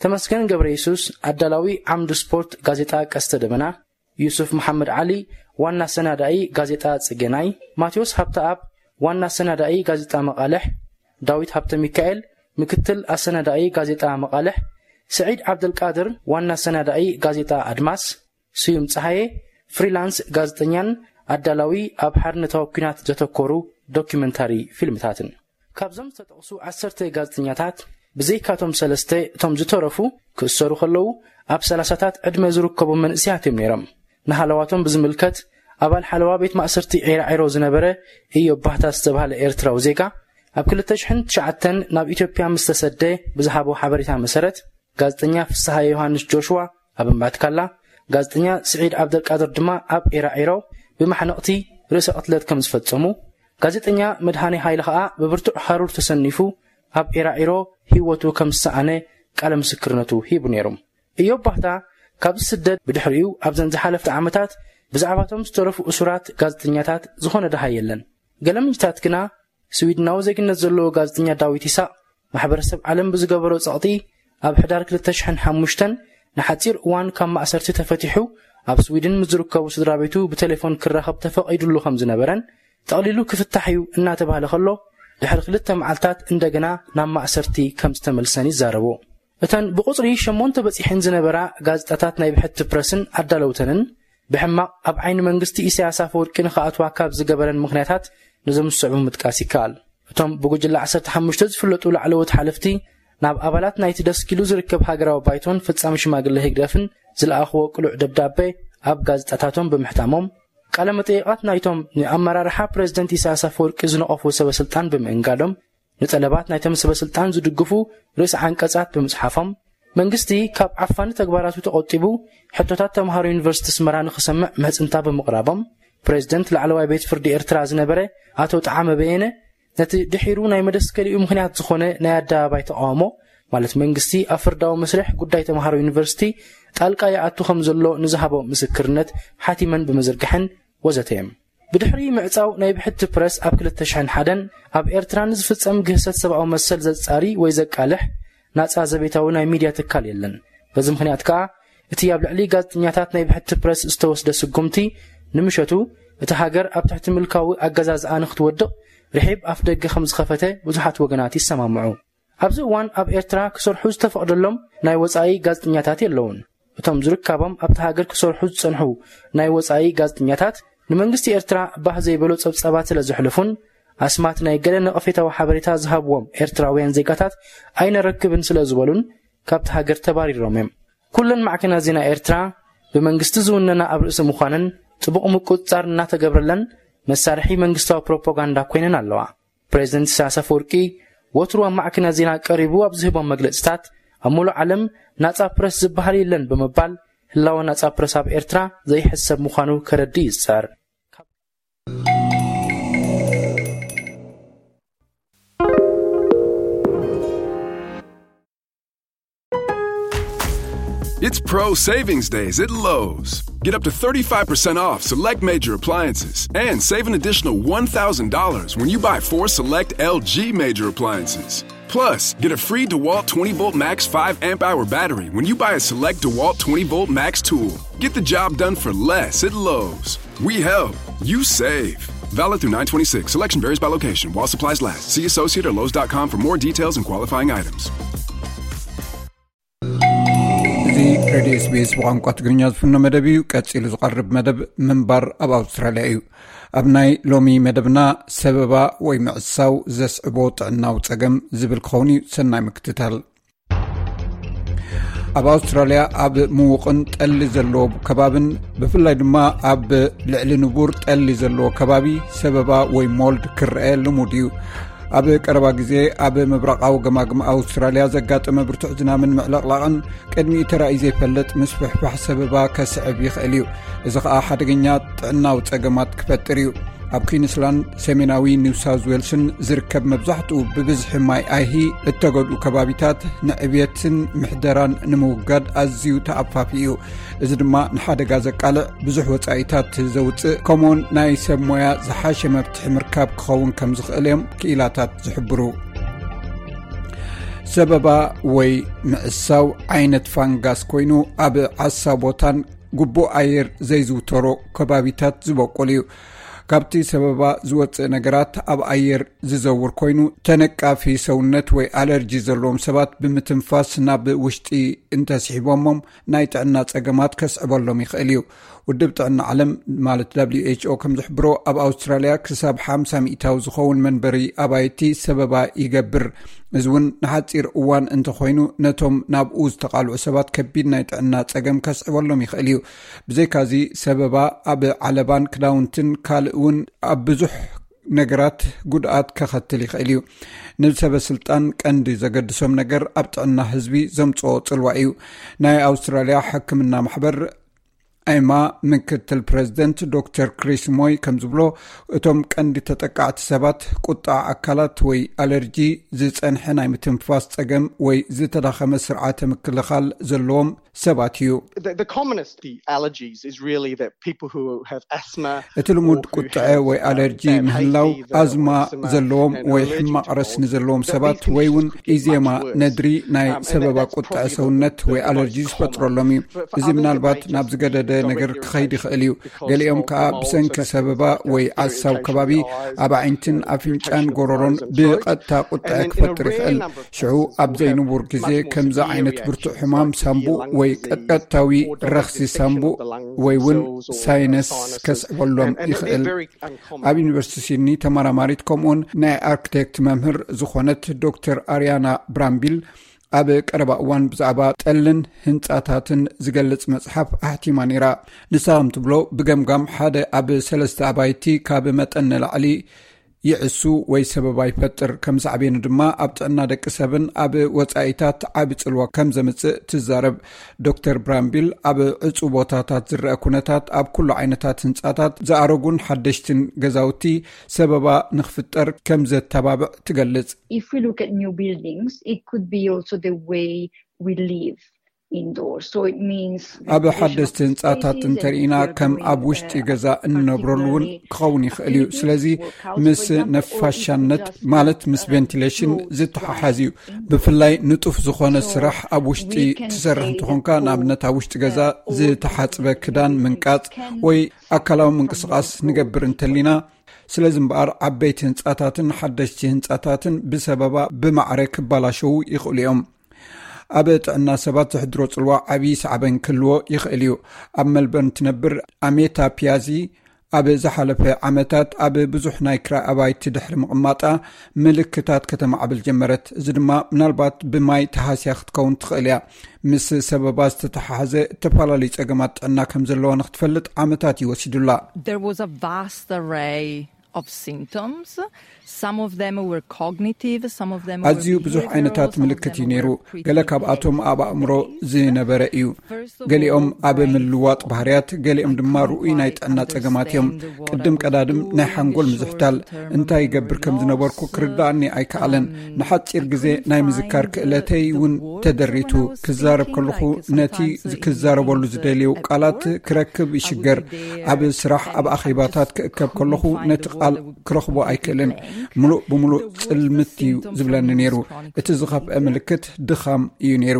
ተመስገን ገብረ የሱስ ኣዳላዊ ዓምዲ ስፖርት ጋዜጣ ቀስተ ደበና፣ ዩሱፍ መሓመድ ዓሊ ዋና ኣሰናዳኢ ጋዜጣ ጽገናይ፣ ማቴዎስ ሃብተኣብ ዋና ኣሰናዳኢ ጋዜጣ መቓልሕ፣ ዳዊት ሃብተ ሚካኤል ምክትል ኣሰናዳኢ ጋዜጣ መቓልሕ፣ ስዒድ ዓብደልቃድር ዋና ኣሰናዳኢ ጋዜጣ ኣድማስ፣ ስዩም ጸሃየ ፍሪላንስ ጋዜጠኛን ኣዳላዊ ኣብ ሓርነታዊ ኲናት ዘተኮሩ ዶኪመንታሪ ፊልምታትን። ካብዞም ዝተጠቕሱ ዓሰርተ ጋዜጠኛታት ብዘይካቶም ሰለስተ እቶም ዝተረፉ ክእሰሩ ከለዉ ኣብ ሰላሳታት ዕድመ ዝርከቡ መንእሰያት እዮም ነይሮም። ንሃለዋቶም ብዝምልከት ኣባል ሓለዋ ቤት ማእሰርቲ ዒራዒሮ ዝነበረ ኢዮብ ባህታ ዝተባህለ ኤርትራዊ ዜጋ ኣብ ክልተ ሽሕን ትሽዓተን ናብ ኢትዮጵያ ምስ ተሰደ ብዝሃቦ ሓበሬታ መሰረት ጋዜጠኛ ፍስሃየ ዮሃንስ ጆሽዋ ኣብ እምባትካላ፣ ጋዜጠኛ ስዒድ ዓብደልቃድር ድማ ኣብ ዒራዒሮ ብማሕነቕቲ ርእሰ ቅትለት ከም ዝፈጸሙ፣ ጋዜጠኛ መድሃኔ ሃይለ ከኣ ብብርቱዕ ሃሩር ተሰኒፉ ኣብ ዒራዒሮ ህይወቱ ከም ዝሰኣነ ቃለ ምስክርነቱ ሂቡ ነይሩ። ኢዮብ ባህታ ካብ ዝስደድ ብድሕሪኡ ኣብዘን ዝሓለፍቲ ዓመታት ብዛዕባቶም ዝተረፉ እሱራት ጋዜጠኛታት ዝኾነ ደሃይ የለን። ገለ ምንጭታት ግና ስዊድናዊ ዜግነት ዘለዎ ጋዜጠኛ ዳዊት ይሳቕ ማሕበረሰብ ዓለም ብዝገበሮ ጸቕጢ ኣብ ሕዳር ክልተ ሽሕን ሓሙሽተን ንሓጺር እዋን ካብ ማእሰርቲ ተፈቲሑ ኣብ ስዊድን ምስ ዝርከቡ ስድራ ቤቱ ብቴሌፎን ክራኸብ ተፈቒዱሉ ከም ዝነበረን ጠቕሊሉ ክፍታሕ እዩ እናተባህለ ከሎ ድሕሪ ክልተ መዓልታት እንደገና ናብ ማእሰርቲ ከም ዝተመልሰን ይዛረቡ። እተን ብቑጽሪ ሸሞንተ በጺሐን ዝነበራ ጋዜጣታት ናይ ብሕቲ ፕረስን ኣዳለውተንን ብሕማቕ ኣብ ዓይኒ መንግስቲ ኢሳያስ ኣፈወርቂ ንኽኣትዋ ካብ ዝገበረን ምኽንያታት ነዞም ዝስዕቡ ምጥቃስ ይከኣል። እቶም ብጉጅለ ዓሰርተ ሓሙሽተ ዝፍለጡ ላዕለዎት ሓለፍቲ ናብ ኣባላት ናይቲ ደስኪሉ ዝርከብ ሃገራዊ ባይቶን ፈጻሚ ሽማግለ ህግደፍን ዝለኣኽዎ ቅሉዕ ደብዳቤ ኣብ ጋዜጣታቶም ብምሕታሞም፣ ቃለ መጠይቓት ናይቶም ንኣመራርሓ ፕሬዝደንት ኢሳያስ ኣፈወርቂ ዝነቐፉ ሰበ ስልጣን ብምእንጋዶም፣ ንጠለባት ናይቶም ሰበ ስልጣን ዝድግፉ ርእሰ ዓንቀጻት ብምጽሓፎም፣ መንግስቲ ካብ ዓፋኒ ተግባራቱ ተቖጢቡ ሕቶታት ተምሃሮ ዩኒቨርሲቲ ኣስመራ ንኽሰምዕ ምሕጽንታ ብምቕራቦም፣ ፕሬዝደንት ላዕለዋይ ቤት ፍርዲ ኤርትራ ዝነበረ ኣቶ ጠዓመ በየነ ነቲ ድሒሩ ናይ መደስከሊኡ ምኽንያት ዝኾነ ናይ ኣደባባይ ተቓውሞ፣ ማለት መንግስቲ ኣብ ፍርዳዊ መስርሕ ጉዳይ ተምሃሮ ዩኒቨርሲቲ ጣልቃ ይኣቱ ከም ዘሎ ንዝሃቦ ምስክርነት ሓቲመን ብምዝርጋሐን ወዘተ እዮም። ብድሕሪ ምዕጻው ናይ ብሕቲ ፕረስ ኣብ ክልተ ሽሕን ሓደን ኣብ ኤርትራ ንዝፍጸም ግህሰት ሰብኣዊ መሰል ዘጻሪ ወይ ዘቃልሕ ናጻ ዘቤታዊ ናይ ሚድያ ትካል የለን። በዚ ምኽንያት ከኣ እቲ ኣብ ልዕሊ ጋዜጠኛታት ናይ ብሕቲ ፕረስ ዝተወስደ ስጉምቲ፣ ንምሸቱ እታ ሃገር ኣብ ትሕቲ ምልካዊ ኣገዛዝኣ ንክትወድቕ ርሒብ ኣፍ ደገ ከም ዝኸፈተ ብዙሓት ወገናት ይሰማምዑ። ኣብዚ እዋን ኣብ ኤርትራ ክሰርሑ ዝተፈቕደሎም ናይ ወጻኢ ጋዜጠኛታት የለውን። እቶም ዝርካቦም ኣብታ ሃገር ክሰርሑ ዝጸንሑ ናይ ወጻኢ ጋዜጠኛታት፣ ንመንግስቲ ኤርትራ ባህ ዘይበሎ ጸብጻባት ስለ ዘሕልፉን ኣስማት ናይ ገለ ነቐፌታዊ ሓበሬታ ዝሃብዎም ኤርትራውያን ዜጋታት ኣይነረክብን ስለ ዝበሉን፣ ካብቲ ሃገር ተባሪሮም እዮም። ኩለን ማዕከናት ዜና ኤርትራ ብመንግስቲ ዝውነና ኣብ ርእሲ ምዃነን፣ ጥቡቕ ምቁጽጻር እናተገብረለን፣ መሳርሒ መንግስታዊ ፕሮፓጋንዳ ኮይነን ኣለዋ። ፕሬዚደንት ኢሳያስ ኣፈወርቂ ወትሩ ኣብ ማዕከናት ዜና ቀሪቡ ኣብ ዝህቦም መግለጽታት፣ ኣብ ሙሉእ ዓለም ናጻ ፕረስ ዝበሃል የለን ብምባል፣ ህላወ ናጻ ፕረስ ኣብ ኤርትራ ዘይሕሰብ ምዃኑ ከረዲ ይጽዕር። It's Pro Savings Days at Lowe's. Get up to thirty-five percent off select major appliances and save an additional one thousand dollars when you buy four select L G major appliances. Plus, get a free DeWalt twenty volt Max five amp hour battery when you buy a select DeWalt twenty volt Max tool. Get the job done for less at Lowe's. We help, you save. Valid through nine twenty-six. Selection varies by location while supplies last. See associate or Lowe's dot com for more details and qualifying items. እዚ ሬድዮ ኤስቢኤስ ብቋንቋ ትግርኛ ዝፍኖ መደብ እዩ። ቀጺሉ ዝቐርብ መደብ ምንባር ኣብ ኣውስትራልያ እዩ። ኣብ ናይ ሎሚ መደብና ሰበባ ወይ ምዕሳው ዘስዕቦ ጥዕናዊ ጸገም ዝብል ክኸውን እዩ። ሰናይ ምክትታል። ኣብ ኣውስትራልያ ኣብ ምዉቕን ጠሊ ዘለዎ ከባብን ብፍላይ ድማ ኣብ ልዕሊ ንቡር ጠሊ ዘለዎ ከባቢ ሰበባ ወይ ሞልድ ክረአ ልሙድ እዩ። ኣብ ቀረባ ግዜ ኣብ ምብራቓዊ ገማግም ኣውስትራልያ ዘጋጠመ ብርቱዕ ዝናምን ምዕለቕላቕን ቅድሚኡ ተራእዩ ዘይፈልጥ ምስፍሕፋሕ ሰበባ ከስዕብ ይኽእል እዩ። እዚ ኸኣ ሓደገኛ ጥዕናዊ ጸገማት ክፈጥር እዩ። ኣብ ኩዊንስላንድ፣ ሰሜናዊ ኒው ሳውዝ ዌልስን ዝርከብ መብዛሕትኡ ብብዝሒ ማይ ኣይሂ እተገድኡ ከባቢታት ንዕብየትን ምሕደራን ንምውጋድ ኣዝዩ ተኣፋፊ እዩ። እዚ ድማ ንሓደጋ ዘቃልዕ፣ ብዙሕ ወጻኢታት ዘውጽእ፣ ከምኡውን ናይ ሰብ ሞያ ዝሓሸ መፍትሒ ምርካብ ክኸውን ከም ዝኽእል እዮም ክኢላታት ዝሕብሩ። ሰበባ ወይ ምዕሳው ዓይነት ፋንጋስ ኮይኑ ኣብ ዓሳ ቦታን ግቡእ ኣየር ዘይዝውተሮ ከባቢታት ዝበቁል እዩ። ካብቲ ሰበባ ዝወጽእ ነገራት ኣብ ኣየር ዝዘውር ኮይኑ ተነቃፊ ሰውነት ወይ ኣለርጂ ዘለዎም ሰባት ብምትንፋስ ናብ ውሽጢ እንተስሒቦሞም ናይ ጥዕና ጸገማት ከስዕበሎም ይኽእል እዩ። ውድብ ጥዕና ዓለም ማለት ደብሊው ኤች ኦ ከም ዝሕብሮ ኣብ ኣውስትራልያ ክሳብ ሓምሳ ሚእታዊ ዝኸውን መንበሪ ኣባይቲ ሰበባ ይገብር። እዚ እውን ንሓጺር እዋን እንተኾይኑ ነቶም ናብኡ ዝተቓልዑ ሰባት ከቢድ ናይ ጥዕና ጸገም ከስዕበሎም ይኽእል እዩ። ብዘይካዚ ሰበባ ኣብ ዓለባን ክዳውንትን ካልእ እውን ኣብ ብዙሕ ነገራት ጉድኣት ከኸትል ይኽእል እዩ። ንሰበ ስልጣን ቀንዲ ዘገድሶም ነገር ኣብ ጥዕና ህዝቢ ዘምጽኦ ጽልዋ እዩ። ናይ ኣውስትራልያ ሕክምና ማሕበር ኣይማ ምክትል ፕሬዚደንት ዶክተር ክሪስ ሞይ ከም ዝብሎ፣ እቶም ቀንዲ ተጠቃዕቲ ሰባት ቁጣዕ ኣካላት ወይ ኣለርጂ፣ ዝጸንሐ ናይ ምትንፋስ ጸገም ወይ ዝተዳኸመ ስርዓተ ምክልኻል ዘለዎም ሰባት እዩ። The, the commonest the allergies is really that people who have asthma እቲ ልሙድ ቁጥዐ ወይ ኣለርጂ ምህላው ኣዝማ ዘለዎም ወይ ሕማቕ ረስኒ ዘለዎም ሰባት ወይ እውን ኢዜማ ነድሪ ናይ ሰበባ ቁጥዐ ሰውነት ወይ ኣለርጂ ዝፈጥረሎም እዩ። እዚ ምናልባት ናብ ዝገደደ ነገር ክኸይድ ይኽእል እዩ። ገሊኦም ከኣ ብሰንኪ ሰበባ ወይ ዓሳው ከባቢ ኣብ ኣዒንትን ኣፍንጫን ጎረሮን ብቐጥታ ቁጥዐ ክፈጥር ይኽእል። ሽዑ ኣብ ዘይንቡር ግዜ ከምዚ ዓይነት ብርቱዕ ሕማም ሳምቡእ ወይ ቀጥቀጥታዊ ረኽሲ ሳምቡእ ወይ እውን ሳይነስ ከስዕበሎም ይኽእል። ኣብ ዩኒቨርሲቲ ሲድኒ ተመራማሪት ከምኡውን ናይ ኣርክቴክት መምህር ዝኾነት ዶክተር ኣርያና ብራምቢል ኣብ ቀረባ እዋን ብዛዕባ ጠልን ህንጻታትን ዝገልጽ መጽሓፍ ኣሕቲማ ነይራ። ንሳ ከም ትብሎ ብገምጋም ሓደ ኣብ ሰለስተ ኣባይቲ ካብ መጠን ንላዕሊ ይዕሱ ወይ ሰበባ ይፈጥር። ከም ሳዕቤኑ ድማ ኣብ ጥዕና ደቂ ሰብን ኣብ ወጻኢታት ዓቢ ጽልዋ ከም ዘምጽእ ትዛረብ። ዶክተር ብራምቢል ኣብ ዕጹ ቦታታት ዝረአ ኩነታት ኣብ ኩሉ ዓይነታት ህንጻታት ዝኣረጉን ሓደሽትን ገዛውቲ ሰበባ ንኽፍጠር ከም ዘተባብዕ ትገልጽ። If we look at new buildings, it could be also the way we live. indoors. So it means ኣብ ሓደስቲ ህንጻታት እንተርኢና ከም ኣብ ውሽጢ ገዛ እንነብረሉ እውን ክኸውን ይኽእል እዩ። ስለዚ ምስ ነፋሻነት ማለት ምስ ቬንቲሌሽን ዝተሓሓዝ እዩ። ብፍላይ ንጡፍ ዝኾነ ስራሕ ኣብ ውሽጢ ትሰርሕ እንተኾንካ፣ ንኣብነት ኣብ ውሽጢ ገዛ ዝተሓጽበ ክዳን ምንቃጽ ወይ ኣካላዊ ምንቅስቓስ ንገብር እንተሊና። ስለዚ እምበኣር ዓበይቲ ህንጻታትን ሓደሽቲ ህንጻታትን ብሰበባ ብማዕረ ክባላሸዉ ይኽእሉ እዮም። ኣብ ጥዕና ሰባት ዘሕድሮ ጽልዋ ዓብዪ ሳዕበን ክህልዎ ይኽእል እዩ። ኣብ መልበርን ትነብር ኣሜታ ፒያዚ ኣብ ዝሓለፈ ዓመታት ኣብ ብዙሕ ናይ ክራይ ኣባይቲ ድሕሪ ምቕማጣ ምልክታት ከተማዕብል ጀመረት። እዚ ድማ ምናልባት ብማይ ተሃስያ ክትከውን ትኽእል እያ። ምስ ሰበባ ዝተተሓሓዘ እተፈላለዩ ጸገማት ጥዕና ከም ዘለዋ ንክትፈልጥ ዓመታት እዩ ወሲዱላ። There was a vast array of symptoms. Some of them were cognitive, some of them were ኣዝዩ ብዙሕ ዓይነታት ምልክት እዩ ነይሩ። ገለ ካብኣቶም ኣብ ኣእምሮ ዝነበረ እዩ። ገሊኦም ኣብ ምልዋጥ ባህርያት፣ ገሊኦም ድማ ርኡይ ናይ ጥዕና ጸገማት እዮም። ቅድም ቀዳድም ናይ ሓንጎል ምዝሕታል እንታይ ይገብር ከም ዝነበርኩ ክርዳእኒ ኣይከኣለን። ንሓጺር ግዜ ናይ ምዝካር ክእለተይ እውን ተደሪቱ። ክዛረብ ከለኹ ነቲ ክዛረበሉ ዝደልዩ ቃላት ክረክብ ይሽገር። ኣብ ስራሕ፣ ኣብ ኣኼባታት ክእከብ ከለኹ ነቲ ቃል ክረኽቦ ኣይክእልን። ምሉእ ብምሉእ ጽልምት እዩ ዝብለኒ ነይሩ። እቲ ዝኸፍአ ምልክት ድኻም እዩ ነይሩ።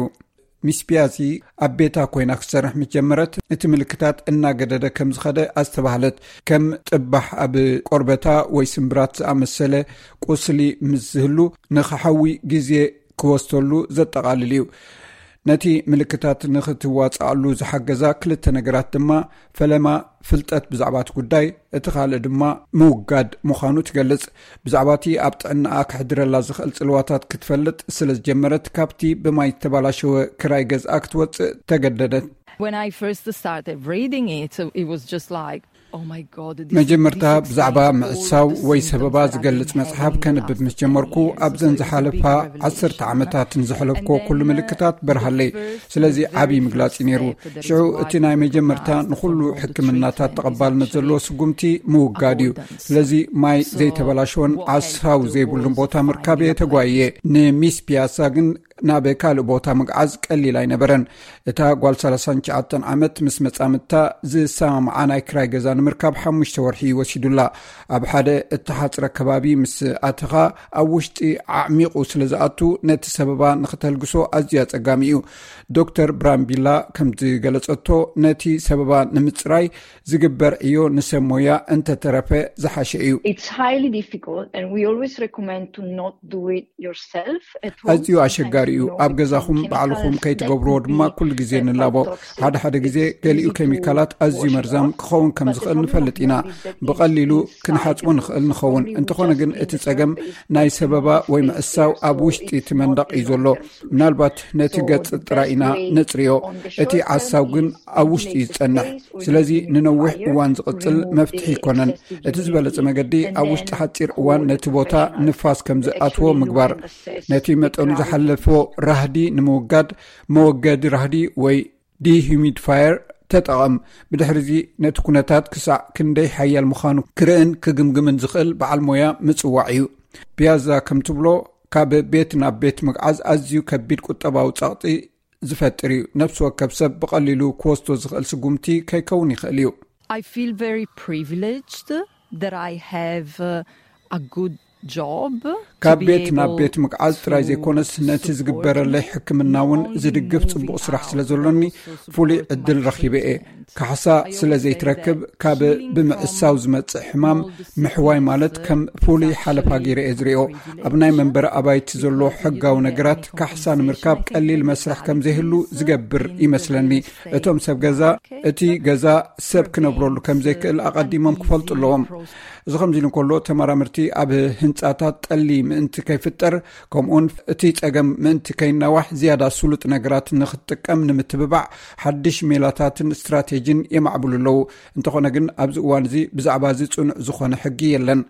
ሚስ ፒያዚ ኣብ ቤታ ኮይና ክትሰርሕ ምስ ጀመረት፣ እቲ ምልክታት እናገደደ ከም ዝኸደ ኣስተባህለት። ከም ጥባሕ ኣብ ቆርበታ ወይ ስምብራት ዝኣመሰለ ቁስሊ ምስ ዝህሉ፣ ንኽሓዊ ግዜ ክወስደሉ ዘጠቓልል እዩ። ነቲ ምልክታት ንኽትዋጽኣሉ ዝሓገዛ ክልተ ነገራት ድማ፣ ፈለማ ፍልጠት ብዛዕባ እቲ ጉዳይ፣ እቲ ካልእ ድማ ምውጋድ ምዃኑ ትገልጽ። ብዛዕባ እቲ ኣብ ጥዕናኣ ከሕድረላ ዝኽእል ጽልዋታት ክትፈልጥ ስለ ዝጀመረት፣ ካብቲ ብማይ ዝተባላሸወ ክራይ ገዝኣ ክትወጽእ ተገደደት። When I first started reading it, it was just like, oh my God, this, መጀመርታ this ብዛዕባ explains all ምዕሳው the ወይ symptoms ሰበባ that I've ዝገልጽ been መጽሓፍ having ከንብብ after ምስ ጀመርኩ፣ years. ኣብዘን So it was a big ዝሓለፋ revelation. ዓሰርተ ዓመታት ንዘሕለፍኩዎ And ኩሉ then, uh, ምልክታት በርሃለይ። the very ስለዚ first ዓብዪ ምግላጽ እዩ ነይሩ። step that is ሽዑ required እቲ ናይ to መጀመርታ pass the ንኹሉ triage of the ሕክምናታት treatment ተቐባልነት should ዘለዎ ስጉምቲ ምውጋድ እዩ። avoidance. ስለዚ ማይ So ዘይተበላሸወን what helped ዓሳው was ዘይብሉን ቦታ finding ምርካብ a እየ ተጓይየ። ንሚስ ፒያሳ ግን ናብ ካልእ ቦታ ምግዓዝ ቀሊል ኣይነበረን። እታ ጓል ሰላሳን ትሽዓተን ዓመት ምስ መጻምድታ ዝሰማምዓ ናይ ክራይ ገዛ ንምርካብ ሓሙሽተ ወርሒ ወሲዱላ። ኣብ ሓደ እተሓጽረ ከባቢ ምስ ኣተኻ፣ ኣብ ውሽጢ ዓዕሚቑ ስለ ዝኣቱ፣ ነቲ ሰበባ ንኽተልግሶ ኣዝዩ ኣጸጋሚ እዩ። ዶክተር ብራምቢላ ከም ዝገለጸቶ፣ ነቲ ሰበባ ንምጽራይ ዝግበር ዕዮ ንሰብ ሞያ እንተተረፈ ዝሓሸ እዩ። It's highly difficult, and we always recommend to not do it yourself at home. ኣዝዩ ኣሸጋሪ እዩ። ኣብ ገዛኹም ባዕልኹም ከይትገብርዎ ድማ ኩሉ ግዜ ንላቦ። ሓደ ሓደ ግዜ ገሊኡ ኬሚካላት ኣዝዩ መርዛም ክኸውን ከም ዝኽእል ንፈልጥ ኢና። ብቐሊሉ ክንሓጽቦ ንኽእል ንኸውን። እንተኾነ ግን እቲ ጸገም ናይ ሰበባ ወይ ምዕሳው ኣብ ውሽጢ እቲ መንደቕ እዩ ዘሎ። ምናልባት ነቲ ገጽ ጥራይ ኢና ነጽርዮ። እቲ ዓሳው ግን ኣብ ውሽጢ እዩ ዝጸንሕ። ስለዚ ንነዊሕ እዋን ዝቕጽል መፍትሒ ኣይኮነን። እቲ ዝበለጸ መገዲ ኣብ ውሽጢ ሓጺር እዋን ነቲ ቦታ ንፋስ ከም ዝኣትዎ ምግባር፣ ነቲ መጠኑ ዝሓለፎ ራህዲ ንምውጋድ መወገዲ ራህዲ ወይ ዲሁሚዲፋየር ተጠቐም። ብድሕሪዚ ነቲ ኩነታት ክሳዕ ክንደይ ሓያል ምዃኑ ክርእን ክግምግምን ዝኽእል በዓል ሞያ ምጽዋዕ እዩ። ፒያዛ ከም ትብሎ፣ ካብ ቤት ናብ ቤት ምግዓዝ ኣዝዩ ከቢድ ቁጠባዊ ጸቕጢ ዝፈጥር እዩ። ነፍሲ ወከፍ ሰብ ብቐሊሉ ክወስዶ ዝኽእል ስጉምቲ ከይከውን ይኽእል እዩ። I feel very privileged that I have uh, a good job. ካብ ቤት ናብ ቤት ምግዓዝ ጥራይ ዘይኮነስ፣ ነቲ ዝግበረለይ ሕክምና እውን ዝድግፍ ጽቡቕ ስራሕ ስለ ዘሎኒ፣ ፍሉይ ዕድል ረኺበ እየ። ካሕሳ ስለ ዘይትረክብ፣ ካብ ብምዕሳው ዝመጽእ ሕማም ምሕዋይ ማለት ከም ፍሉይ ሓለፋ ገይረ እየ ዝሪኦ። ኣብ ናይ መንበሪ ኣባይቲ ዘሎ ሕጋዊ ነገራት ካሕሳ ንምርካብ ቀሊል መስርሕ ከም ዘይህሉ ዝገብር ይመስለኒ። እቶም ሰብ ገዛ፣ እቲ ገዛ ሰብ ክነብረሉ ከም ዘይክእል ኣቐዲሞም ክፈልጡ ኣለዎም። እዚ ከምዚ ኢሉ እንከሎ፣ ተመራመርቲ ኣብ ህንጻታት ጠሊ ምእንቲ ከይፍጠር፣ ከምኡውን እቲ ጸገም ምእንቲ ከይናዋሕ ዝያዳ ስሉጥ ነገራት ንክትጥቀም ንምትብባዕ ሓድሽ ሜላታትን ስትራቴጂን የማዕብሉ ኣለዉ። እንተኾነ ግን ኣብዚ እዋን እዚ ብዛዕባ እዚ ጽኑዕ ዝኾነ ሕጊ የለን።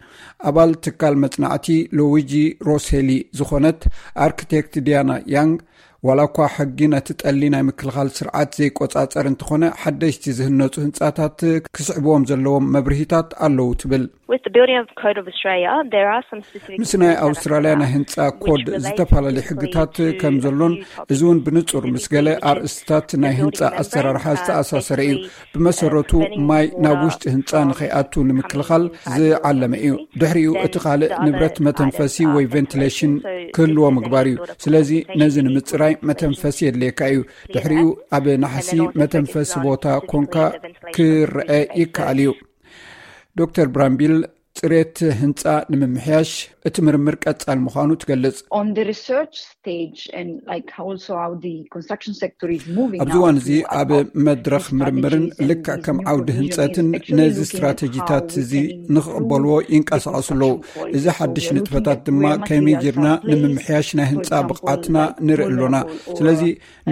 ኣባል ትካል መጽናዕቲ ሉዊጂ ሮሴሊ ዝኾነት ኣርክቴክት ዲያና ያንግ፣ ዋላ እኳ ሕጊ ነቲ ጠሊ ናይ ምክልኻል ስርዓት ዘይቆጻጸር እንተኾነ፣ ሓደሽቲ ዝህነጹ ህንጻታት ክስዕብዎም ዘለዎም መብርሂታት ኣለዉ ትብል። With the building of Code of Australia, there are some specific ምስ ናይ ኣውስትራልያ ናይ ህንጻ ኮድ ዝተፈላለዩ ሕግታት ከም ዘሎን፣ እዚ እውን ብንጹር ምስ ገለ ኣርእስታት ናይ ህንጻ ኣሰራርሓ ዝተኣሳሰረ እዩ። ብመሰረቱ ማይ ናብ ውሽጢ ህንጻ ንኸይኣቱ ንምክልኻል ዝዓለመ እዩ። ድሕሪኡ እቲ ካልእ ንብረት መተንፈሲ ወይ ቬንቲሌሽን ክህልዎ ምግባር እዩ። ስለዚ ነዚ ንምጽራይ መተንፈሲ የድልየካ እዩ። ድሕሪኡ ኣብ ናሕሲ መተንፈሲ ቦታ ኮንካ ክረአ ይከኣል እዩ። ዶክተር ብራምቢል ጽሬት ህንጻ ንምምሕያሽ እቲ ምርምር ቀጻል ምዃኑ ትገልጽ። On the research stage and like also how the construction sector is moving ኣብዚ እዋን እዚ ኣብ መድረኽ ምርምርን ልክዕ ከም ዓውዲ ህንጸትን ነዚ ስትራተጂታት እዚ ንኽቕበልዎ ይንቀሳቐሱ ኣለዉ። እዚ ሓድሽ ንጥፈታት ድማ ከመይ ጌርና ንምምሕያሽ ናይ ህንጻ ብቕዓትና ንርኢ ኣሎና። ስለዚ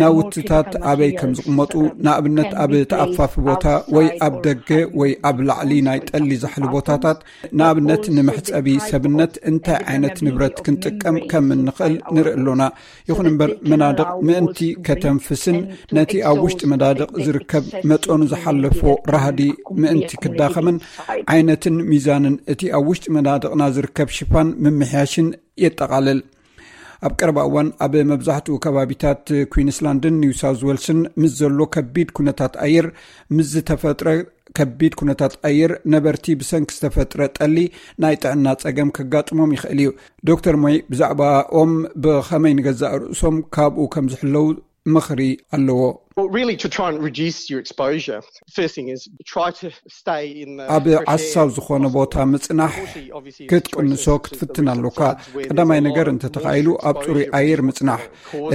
ናውትታት ኣበይ ከም ዝቕመጡ፣ ንኣብነት ኣብ ተኣፋፊ ቦታ ወይ ኣብ ደገ ወይ ኣብ ላዕሊ ናይ ጠሊ ዛሕሊ ቦታታት፣ ንኣብነት ንመሕጸቢ ሰብነት እንታይ ዓይነት ንብረት ክንጥቀም ከም እንኽእል ንርኢ ኣሎና። ይኹን እምበር መናድቕ ምእንቲ ከተንፍስን ነቲ ኣብ ውሽጢ መናድቕ ዝርከብ መጠኑ ዝሓለፎ ራህዲ ምእንቲ ክዳኸምን ዓይነትን ሚዛንን እቲ ኣብ ውሽጢ መናድቕና ዝርከብ ሽፋን ምምሕያሽን የጠቓልል። ኣብ ቀረባ እዋን ኣብ መብዛሕትኡ ከባቢታት ኩዊንስላንድን ኒው ሳውዝ ዌልስን ምስ ዘሎ ከቢድ ኩነታት ኣየር ምስ ዝተፈጥረ ከቢድ ኩነታት ኣየር ነበርቲ ብሰንኪ ዝተፈጥረ ጠሊ ናይ ጥዕና ጸገም ከጋጥሞም ይኽእል እዩ። ዶክተር ሞይ ብዛዕባኦም ብኸመይ ንገዛእ ርእሶም ካብኡ ከም ዝሕለው ምኽሪ ኣለዎ። Well, really, to try and reduce your exposure, first thing is try to stay in the ኣብ ዓሳው ዝኾነ ቦታ ምጽናሕ ክትቅንሶ ክትፍትን ኣሎካ። ቀዳማይ ነገር እንተተኻኢሉ ኣብ ጽሩይ ኣየር ምጽናሕ።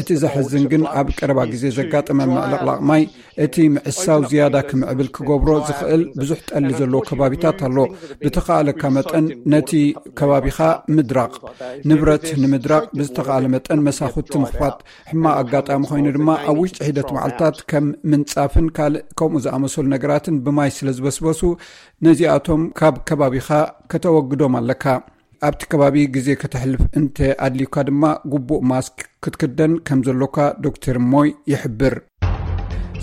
እቲ ዘሕዝን ግን ኣብ ቀረባ ግዜ ዘጋጠመ ምዕልቕላቕ ማይ እቲ ምዕሳው ዝያዳ ክምዕብል ክገብሮ ዝኽእል ብዙሕ ጠሊ ዘለዎ ከባቢታት ኣሎ። ብተኻእለካ መጠን ነቲ ከባቢኻ ምድራቕ፣ ንብረት ንምድራቕ ብዝተኻእለ መጠን መሳኹቲ ምኽፋት። ሕማቕ ኣጋጣሚ ኮይኑ ድማ ኣብ ውሽጢ ሒደት መዓልታት ከም ምንጻፍን ካልእ ከምኡ ዝኣመሰሉ ነገራትን ብማይ ስለ ዝበስበሱ ነዚኣቶም ካብ ከባቢኻ ከተወግዶም ኣለካ። ኣብቲ ከባቢ ግዜ ከተሕልፍ እንተ ኣድልዩካ ድማ ግቡእ ማስክ ክትክደን ከም ዘሎካ ዶክተር ሞይ ይሕብር።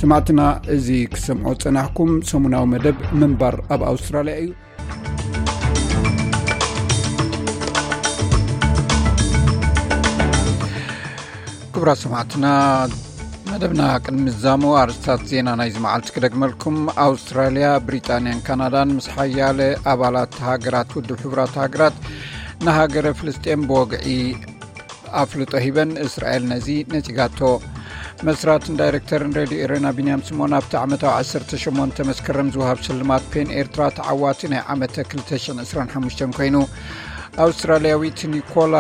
ሰማዕትና፣ እዚ ክሰምዖ ጸናሕኩም ሰሙናዊ መደብ ምንባር ኣብ ኣውስትራልያ እዩ። ክቡራት ሰማዕትና፣ መደብና ቅድሚ ምዛሙ ኣርእስታት ዜና ናይዚ መዓልቲ ክደግመልኩም። ኣውስትራልያ፣ ብሪጣንያን ካናዳን ምስ ሓያለ ኣባላት ሃገራት ውድብ ሕቡራት ሃገራት ንሃገረ ፍልስጤም ብወግዒ ኣፍልጦ ሂበን፣ እስራኤል ነዚ ነጺጋቶ። መስራትን ዳይሬክተርን ሬድዮ ኤረና ቢንያም ስሞን ኣብቲ ዓመታዊ ዓሰርተ ሸሞንተ መስከረም ዝወሃብ ሽልማት ፔን ኤርትራ ተዓዋቲ ናይ ዓመተ ክልተ ሽሕን ዕስራን ሓሙሽተን ኮይኑ። ኣውስትራልያዊት ኒኮላ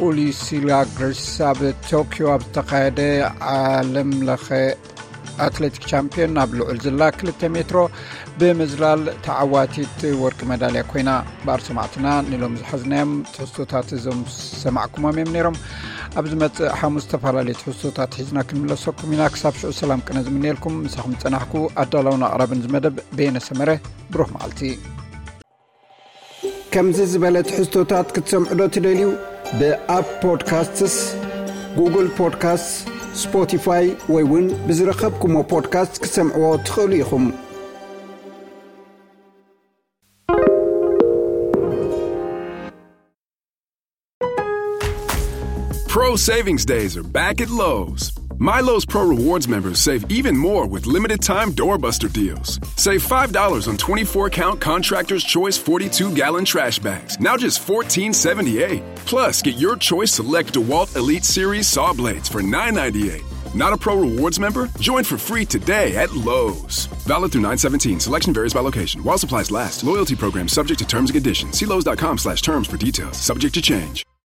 ኡሊሲላግርስ ኣብ ቶኪዮ ኣብ ዝተኻየደ ዓለም ለኸ ኣትሌቲክ ቻምፒዮን ኣብ ልዑል ዝላ ክልተ ሜትሮ ብምዝላል ተዓዋቲት ወርቂ መዳልያ ኮይና። ባር ሰማዕትና ንሎም ዝሓዝናዮም ትሕዝቶታት እዞም ሰማዕኩሞም እዮም ነይሮም። ኣብ ዝመጽእ ሓሙስ ዝተፈላለዩ ትሕዝቶታት ሒዝና ክንምለሰኩም ኢና። ክሳብ ሽዑ ሰላም ቅነ ዝምንየልኩም። ምሳኹም ዝጸናሕኩ ኣዳላውን ኣቕራብን ዝመደብ በየነ ሰመረ። ብሩኽ መዓልቲ። ከምዚ ዝበለ ትሕዝቶታት ክትሰምዑ ዶ ትደልዩ? ብኣፕ ፖድካስትስ፣ ጉግል ፖድካስት፣ ስፖቲፋይ ወይ እውን ብዝረኸብኩሞ ፖድካስት ክትሰምዕዎ ትኽእሉ ኢኹም። Pro savings days are back at Lowe's. My Lowe's Pro Rewards members save even more with limited time doorbuster deals. Save five dollars on twenty-four count Contractor's Choice forty-two gallon trash bags, now just fourteen seventy-eight. Plus, get your choice select DeWalt Elite Series saw blades for nine ninety-eight. Not a Pro Rewards member? Join for free today at Lowe's. Valid through nine seventeen. Selection varies by location. While supplies last, loyalty program subject to terms and conditions. See Lowe's dot com slash terms for details. Subject to change.